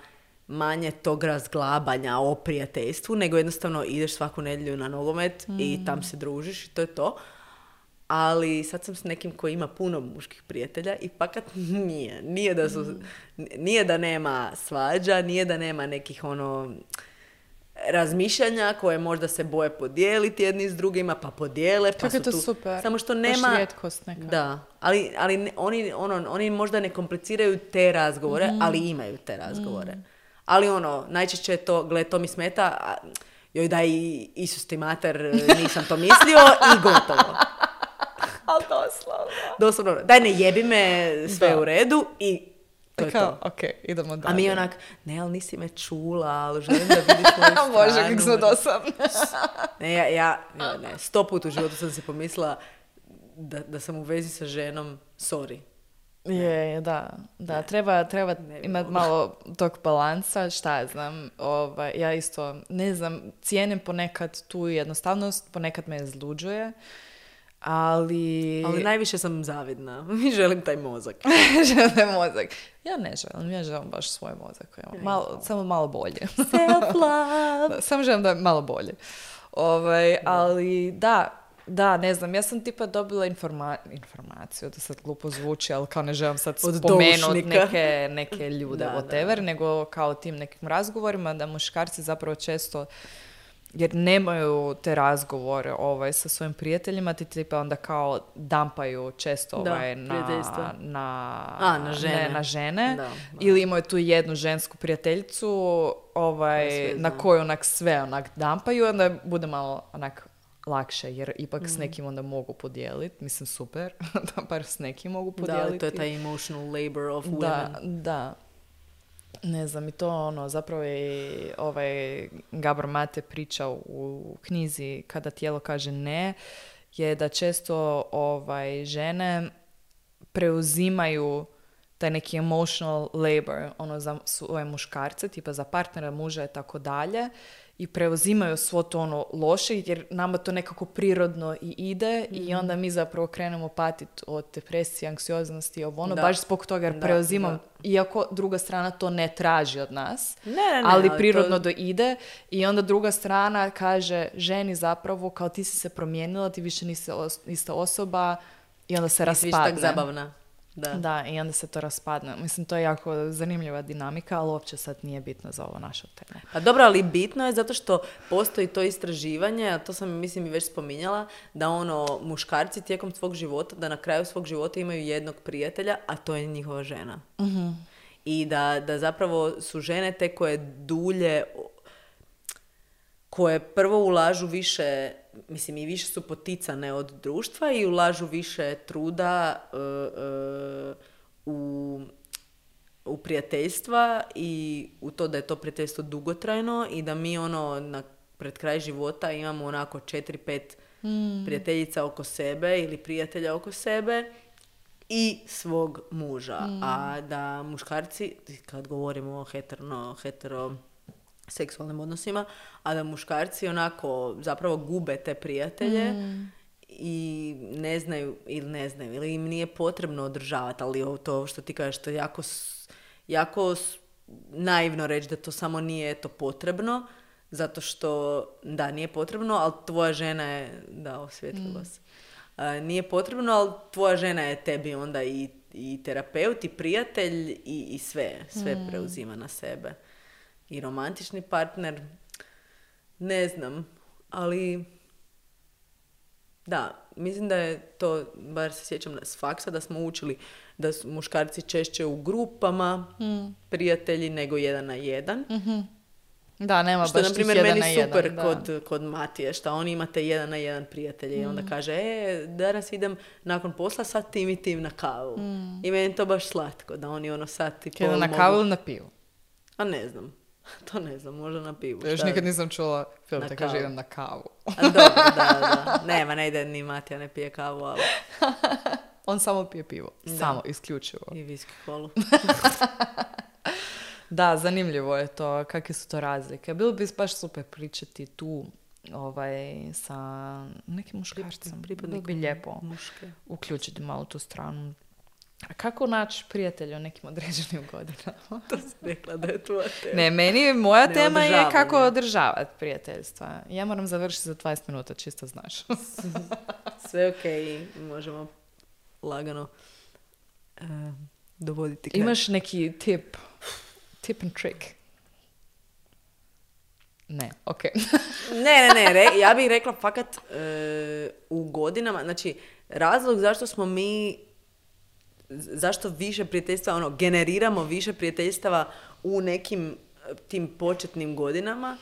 manje tog razglabanja o prijateljstvu, nego jednostavno ideš svaku nedjelju na nogomet i tam se družiš i to je to. Ali sad sam s nekim koji ima puno muških prijatelja i pakat nije. Nije da nema svađa, nije da nema nekih razmišljanja koje možda se boje podijeliti jedni s drugima, pa podijele, pa su tu. Super. Samo što nema... Baš rijetkost neka. Da, ali oni možda ne kompliciraju te razgovore, ali imaju te razgovore. Ali najčešće je to, to mi smeta, joj daj Isus ti mater, nisam to mislio i gotovo. Ali doslovno. Daj ne jebi me, sve u redu i to je to. Ok, idemo dalje. A mi ne, ali nisi me čula, ali želim da vidiš moju stranu. Bože, kako smo dosadne. Ja 100 puta u životu sam se pomislila da sam u vezi sa ženom, sorry. Da, treba imati malo tog balansa, šta ja znam, ja isto, ne znam, cijenim ponekad tu jednostavnost, ponekad me izluđuje, ali najviše sam zavidna, želim taj mozak. Ja ne želim, ja želim baš svoj mozak, samo malo bolje. Self-love. Samo želim da je malo bolje. Ali da, ne znam, ja sam tipa dobila informaciju, da sad glupo zvuči, ali kao ne želim sad spomenuti neke ljude, whatever, nego kao tim nekim razgovorima, da muškarci zapravo često, jer nemaju te razgovore sa svojim prijateljima, ti tipa onda kao dampaju često na žene. Da. Ili imaju tu jednu žensku prijateljicu na koju onak sve onak dampaju, onda bude malo onak lakše, jer ipak s nekim onda mogu podijeliti. Mislim, super, da bar s nekim mogu podijeliti. Da, to je taj emotional labor of women. Da. Ne znam, i to zapravo je Gabor Mate pričao u knjizi Kada tijelo kaže ne, je da često žene preuzimaju taj neki emotional labor za svoje muškarce, tipa za partnera, muža i tako dalje, i preuzimaju svo to loše, jer nama to nekako prirodno i ide i onda mi zapravo krenemo patiti od depresije, anksioznosti, baš zbog toga jer preuzimam, iako druga strana to ne traži od nas, ali prirodno ide i onda druga strana kaže ženi zapravo kao ti si se promijenila, ti više nisi ista osoba i onda se raspadne. Nisi više tak zabavna. Da, i onda se to raspadne. Mislim, to je jako zanimljiva dinamika, ali uopće sad nije bitno za ovo naša tema. Pa dobro, ali bitno je zato što postoji to istraživanje, a to sam, mislim, i već spominjala, da muškarci tijekom svog života, da na kraju svog života imaju jednog prijatelja, a to je njihova žena. Mm-hmm. I da zapravo su žene te koje dulje, koje prvo ulažu više, mislim i više su poticane od društva i ulažu više truda u prijateljstva i u to da je to prijateljstvo dugotrajno i da mi pred kraj života imamo onako 4-5 prijateljica oko sebe ili prijatelja oko sebe i svog muža. A da muškarci, kad govorimo o heteroseksualnim odnosima, a da muškarci onako zapravo gube te prijatelje i ne znaju ili im nije potrebno održavati, ali to što ti kažeš, to je jako naivno reći da to samo nije to potrebno, zato što, da, nije potrebno, ali tvoja žena je, da, osvijetlila se. Nije potrebno, ali tvoja žena je tebi onda i terapeut, i prijatelj, i sve preuzima na sebe. I romantični partner, ne znam, ali da, mislim da je to, bar se sjećam s faksa, da smo učili da su muškarci češće u grupama prijatelji nego 1 na 1. Da, nema što, baš na primjer, tih 1 meni na 1. super Da. kod Matije, što oni imate 1 na 1 prijatelje i onda kaže, danas idem nakon posla sad tim i tim na kavu. I meni je to baš slatko, da oni ono sad i pol Na mogu... kavu ili na pivu? A ne znam. To ne znam, možda na pivu. Još nikad nisam čula film Na te kaže kavu. idem na kavu. A dobro, da. Nema, ne ide ni Matija, ne pije kavu, ali... On samo pije pivo. Da. Samo, isključivo. I viski kolu. Da, zanimljivo je to, kakve su to razlike. Bilo bi baš super pričati tu sa nekim muškarcem. Bilo bi lijepo muške. uključiti malo tu stranu. A kako naći prijatelja u nekim određenim godinama? To si rekla da je tvoja tema. Ne, meni moja Ne, tema je održavanje. kako održavati prijateljstva. Ja moram završiti za 20 minuta, čisto znaš. Sve okej, možemo lagano dovoditi kraj. Imaš neki tip and trick? Ne, okej. Ne, ja bih rekla fakat u godinama, znači razlog zašto više prijateljstva, generiramo više prijateljstava u nekim tim početnim godinama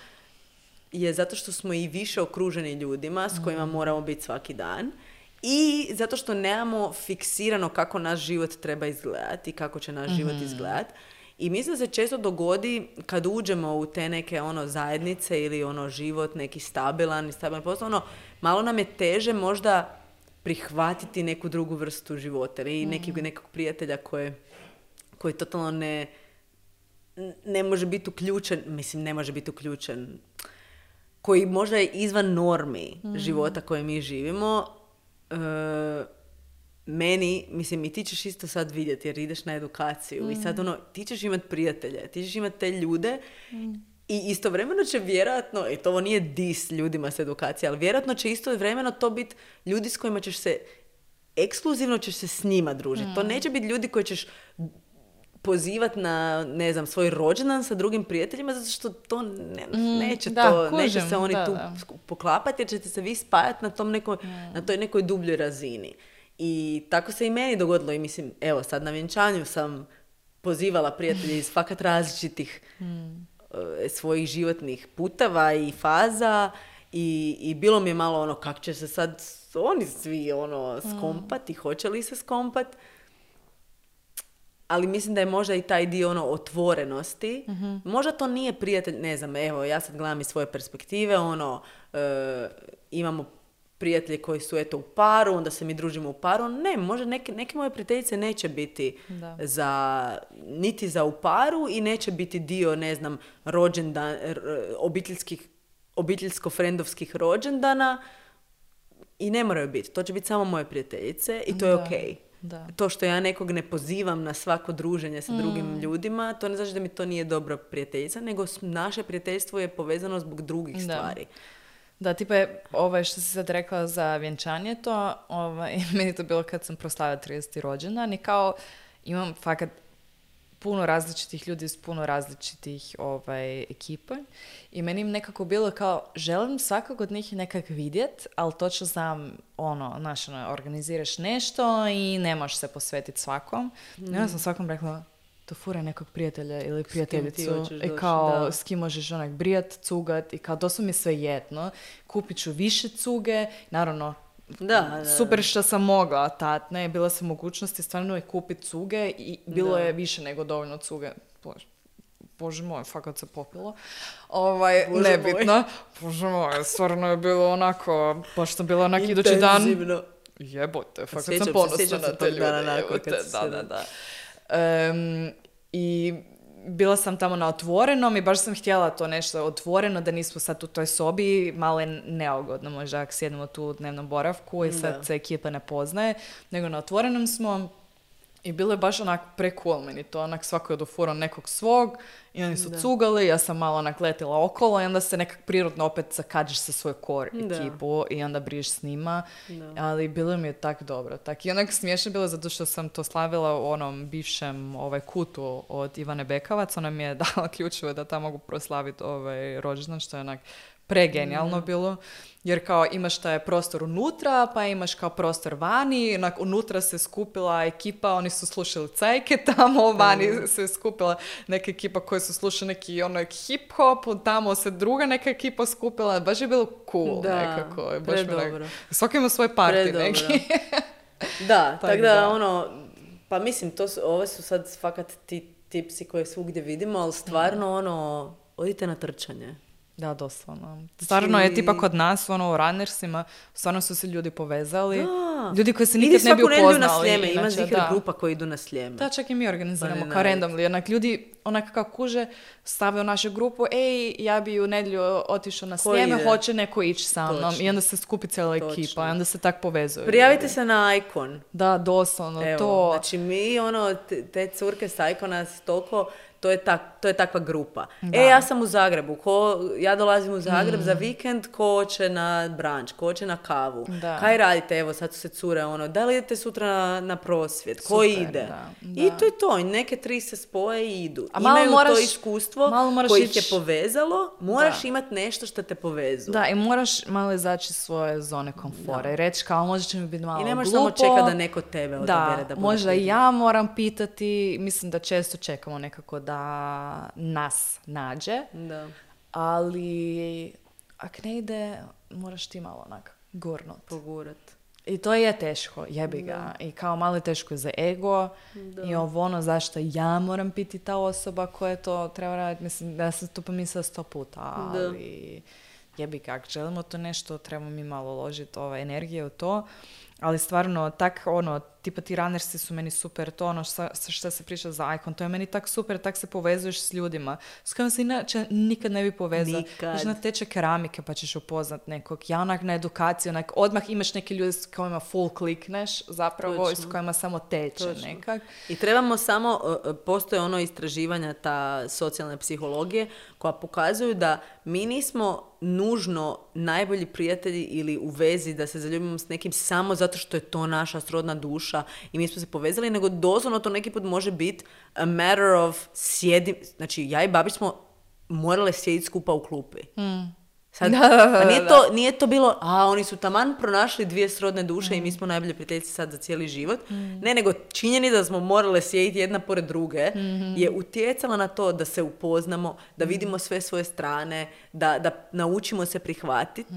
je zato što smo i više okruženi ljudima s kojima moramo biti svaki dan i zato što nemamo fiksirano kako naš život treba izgledati i kako će naš život izgledati. I mislim da se često dogodi kad uđemo u te neke zajednice ili život neki stabilan posao, malo nam je teže možda prihvatiti neku drugu vrstu života ili nekog prijatelja koji totalno ne može biti uključen, ne može biti uključen, koji možda je izvan normi života koje mi živimo. Meni, i ti ćeš isto sad vidjeti jer ideš na edukaciju i sad ti ćeš imati prijatelje, ti ćeš imati te ljude i istovremeno će vjerojatno, to ovo nije dis ljudima s edukacije, ali vjerojatno će istovremeno to biti ljudi s kojima ćeš se, ekskluzivno ćeš se s njima družiti. To neće biti ljudi koji ćeš pozivati na, ne znam, svoj rođendan sa drugim prijateljima, zato što to neće se oni tu poklapati jer ćete se vi spajati na tom na toj nekoj dubljoj razini. I tako se i meni dogodilo i evo sad na vjenčanju sam pozivala prijatelje iz fakat različitih svojih životnih puteva i faza i bilo mi je malo kako će se sad oni svi skompati, hoće li se skompati. Ali mislim da je možda i taj dio otvorenosti. Možda to nije prijatelj, ne znam, evo ja sad gledam iz svoje perspektive, imamo prijatelji koji su u paru, onda se mi družimo u paru. Ne, možda neke moje prijateljice neće biti niti za u paru i neće biti dio, ne znam, rođendan, obiteljsko-frendovskih rođendana i ne moraju biti. To će biti samo moje prijateljice i to je okej. Da. To što ja nekog ne pozivam na svako druženje sa drugim ljudima, to ne znači da mi to nije dobra prijateljica, nego naše prijateljstvo je povezano zbog drugih stvari. Da, tipa je što si sad rekla za vjenčanje to, meni to bilo kad sam proslavila 30. rođendan i kao imam fakat puno različitih ljudi iz puno različitih ekipa i meni im nekako bilo kao želim svakog od njih nekak vidjet, ali točno znam organiziraš nešto i ne možeš se posvetiti svakom. I onda sam svakom rekla to fura nekog prijatelja ili prijateljicu i kao s kim možeš brijat, cugat i kao to su mi sve jedno. Kupit ću više cuge, naravno super što sam mogla tad, ne, bila sam mogućnosti stvarno je kupiti cuge i bilo je više nego dovoljno cuge. Bože moj, fakat se popilo. Nebitno. Bože moj, stvarno je bilo onako, baš sam bila onak idući dan. Jebote, fakat sam ponosna na te ljude. Da. I bila sam tamo na otvorenom i baš sam htjela to nešto otvoreno, da nismo sad u toj sobi, malo je neugodno možda ako sjedimo tu u dnevnom boravku i sad se ekipa ne poznaje, nego na otvorenom smo I bilo je baš onak pre-cool meni to, onak svako je odofurao nekog svog i oni su cugali, ja sam malo onak letila okolo i onda se nekak prirodno opet zakađiš sa svoju core ekipu i onda briš s njima, ali bilo mi je tak dobro. Tak i onak smiješno bilo zato što sam to slavila u onom bivšem kutu od Ivane Bekavac, ona mi je dala ključeve da tamo mogu proslaviti rođendan, što je onak pregenijalno bilo, jer kao imaš taj prostor unutra, pa imaš kao prostor vani, unutra se skupila ekipa, oni su slušali cajke tamo, vani se skupila neka ekipa koja su slušali neki hip-hop, tamo se druga neka ekipa skupila, baš je bilo cool nekako. Baš svaki ima svoj party neki. Da, tako da pa mislim, ove su sad fakat ti tipsi koje svugdje vidimo, ali stvarno odite na trčanje. Da, doslovno. Stvarno je tipa kod nas, u runnersima, stvarno su se ljudi povezali. Da. Ljudi koji se nikad ne bi upoznali. Idi svaku nedjelju na Sljeme, ima zikr grupa koji idu na Sljeme. Da, čak i mi organiziramo kao randomly. Onak ljudi, kako kuže, stave u našu grupu, ja bi u nedjelju otišao na Sljeme, hoće neko ići sa mnom. I onda se skupi cijela ekipa i onda se tak povezuju. Prijavite se na Icon. Da, doslovno. Evo, znači mi, te curke s Icona toliko... To je takva grupa. Da. Ja sam u Zagrebu. Ja dolazim u Zagreb za vikend, ko će na branč, ko će na kavu. Da. Kaj radite? Evo, sad su se cure da li idete sutra na prosvjed? Ko ide? Da. I to je to. Neke tri se spoje i idu. Imaju to iskustvo koje ih je povezalo. Moraš imati nešto što te povezuje. Da, i moraš malo izaći iz svoje zone komfora. I reći kao, možda će mi biti malo glupo. I ne možeš samo čekati da neko tebe odabere da bude. Možda i ja moram pitati. Mislim da često čekamo nekako da nas nađe, ali ak ne ide, moraš ti malo onak gurnut. Pogurat. I to je teško, jebi ga. I kao malo je teško za ego i zašto ja moram biti ta osoba koja to treba raditi. Mislim, da sam to pomislila 100 puta, ali jebi ga. Ako želimo to nešto, trebamo mi malo uložiti energije u to. Ali stvarno, tak tipa ti runnersi su meni super, to što se priča za Icon, to je meni tak super, tak se povezuješ s ljudima s kojima se inače nikad ne bi povezao. Znaš na tečaj keramike pa ćeš upoznat nekog, ja onak na edukaciju, odmah imaš neke ljude s kojima full klikneš zapravo i s kojima samo teče nekak. I trebamo samo, postoje istraživanja ta socijalne psihologije koja pokazuju da mi nismo nužno najbolji prijatelji ili u vezi da se zaljubimo s nekim samo zato što je to naša srodna duša i mi smo se povezali, nego doslovno to neki put može biti a matter of znači ja i Babić smo morale sjediti skupa u klupi. Sad, nije to bilo, oni su taman pronašli dvije srodne duše i mi smo najbolje prijateljice sad za cijeli život. Ne, nego činjenica da smo morale sjediti jedna pored druge je utjecala na to da se upoznamo, da vidimo sve svoje strane, da naučimo se prihvatiti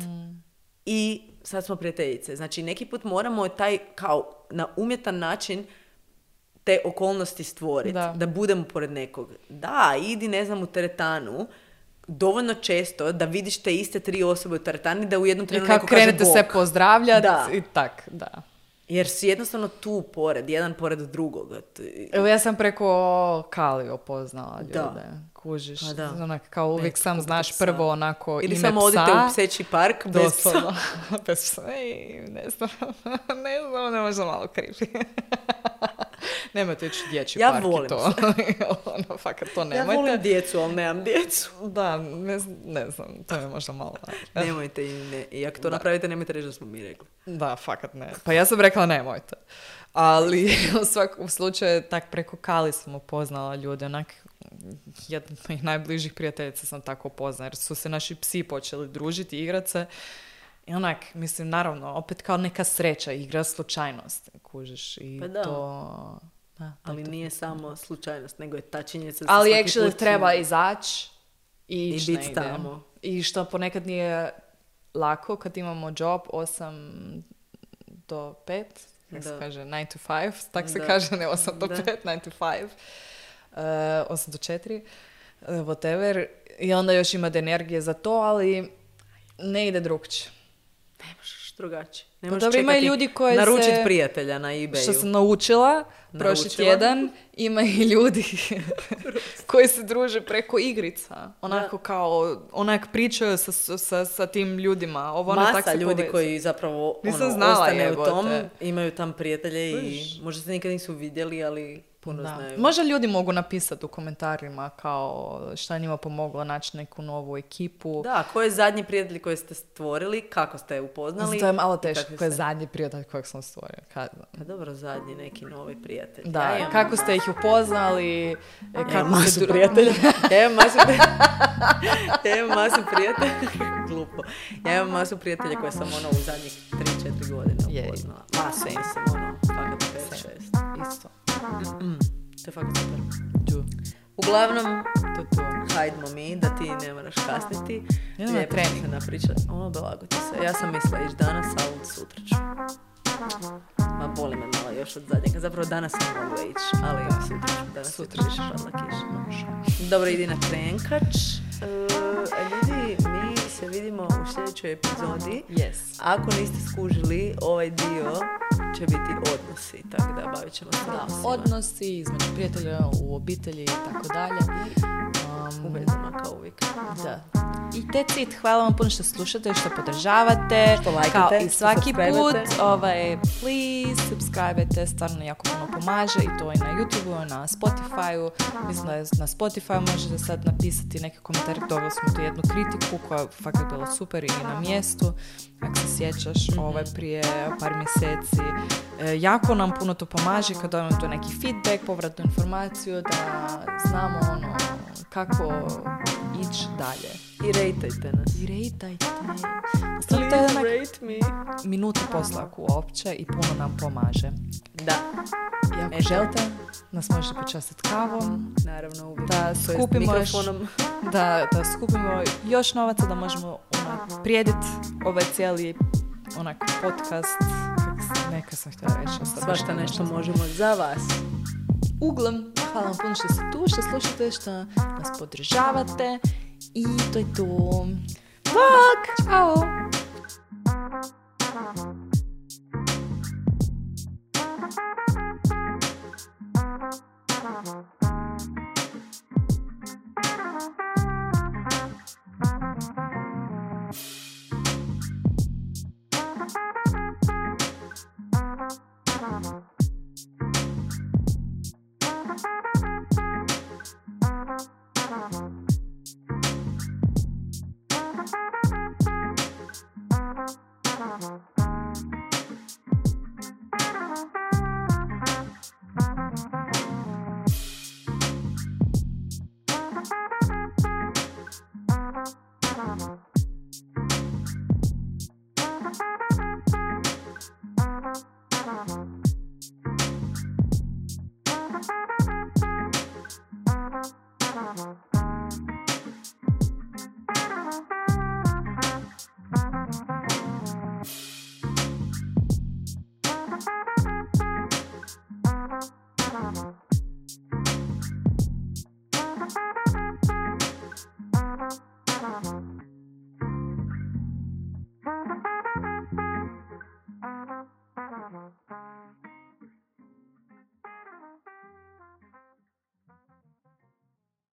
i sad smo prijateljice. Znači, neki put moramo taj kao na umjetan način te okolnosti stvoriti, da budemo pored nekog. Da, idi, ne znam, u teretanu, dovoljno često da vidiš te iste tri osobe u teretani da u jednom trenutku neko kaže Bog. I kako krenete se pozdravljati i tak, da. Jer si jednostavno tu pored, jedan pored drugog. Evo ja sam preko Kalio poznala ljude. Kužiš, onak, kao uvijek sam znaš psa. Prvo onako ili ime samo psa. Odite u pseći park bez psa. Bez psa. Ne znam, ne možda malo creepy. Nemojte ići dječji park i to. Fakat to nemojte. Ja volim djecu, ali nemam djecu. Da, ne znam, to je možda malo. Nemojte i ako to napravite, nemojte reći da smo mi rekli. Da, fakat ne. Pa ja sam rekla nemojte. Ali u svakom slučaju, tak preko Kali sam upoznala ljude, onak jedna od mojih najbližih prijateljica sam tako upoznala, jer su se naši psi počeli družiti, igrati se. I onak, mislim, naravno, opet kao neka sreća, igra slučajnost, kužiš. I pa da. To... Da, ali nije samo slučajnost, nego je ta činjenica. Ali actually treba izaći i ići biti tamo. I što ponekad nije lako kad imamo job 8 do 5, kako se kaže, 9 to 5, tak se kaže, ne 8 do 5, 9 to 5, 8 do 4, whatever. I onda još imate energije za to, ali ne ide drugčije. Ne možeš drugačije. Ne Pa možeš dobro, ima i čekati ljudi koji naručit se- prijatelja na eBayu. Što sam naučila prošli tjedan, ima i ljudi koji se druže preko igrica. Onako kao, onak pričaju sa tim ljudima. Ovo ono tak Masa se ljudi povezuje. koji zapravo Nisam znala, ostane u jebote. tom, imaju tam prijatelje i možda se nikad nisu vidjeli, ali puno Da. znaju. Možda ljudi mogu napisati u komentarima kao šta je njima pomoglo naći neku novu ekipu. Da, ko je zadnji prijatelj koji ste stvorili, kako ste je upoznali? To je malo i teško, kakvi ko je ste- zadnji prijatelj kojeg sam stvorio. Pa dobro, zadnji neki novi prijatelj. Da, Ja imam- kako ste ih upoznali, Ja kako imam masu ste prijatelja. Ja imam masu prijatelja. Glupo. Ja imam masu prijatelja koje sam u zadnjih 3-4 godine Je. upoznala. Masu, mislim, fakat 5-6. Isto. To je fakat super. Tu. Uglavnom, To. hajdmo mi, da ti ne moraš kasniti. Idem na Lijepo trening. smo se napričali. Blago ti se. Ja sam mislila ići danas, ali sutra ću. Ma boli me malo još od zadnjega. Zapravo danas sam mogla ići, ali sutra ću. Danas Sutra ćeš padla kiša. Dobro, idi na trenkač. Ljudi, mi se vidimo u sljedećoj epizodi. Yes. Ako niste skužili, ovaj dio će biti odnosi, tako da bavit ćemo se Da, odnosima. odnosi između prijatelja, u obitelji i tako dalje. U vezama, kao uvijek. Da. I that's it. Hvala vam puno što slušate, što podržavate. Što lajkate, Kao i što svaki subscribe-ate. put, please, subscribe-te, stvarno jako puno pomaže i to i na YouTube-u, i na Spotify-u. Mislim da je na Spotify možete sad napisati neke komentare, dobili smo tu jednu kritiku koja je fakat bila super i na mjestu. Ako se sjećaš, prije par mjeseci. Jako nam puno to pomaže kad dobijemo tu neki feedback, povratnu informaciju, da znamo kako ići dalje. I rejtajte nas. I rejtajte. Stvarno, to je onak rate me. minutu posla uopće i puno nam pomaže. Da. I ako Eto. želite, nas možete počastiti kavom, Naravno, uvijek. da To jest skupimo još, mikrofonom. da skupimo još novaca da možemo prijediti ovaj cijeli podcast. Neka sam htjela reći. Svašta nešto možemo za vas. Uglavnom, hvala vam puno što ste tu, što slušate, što nas podržavate i to je to. Bok! Ćao!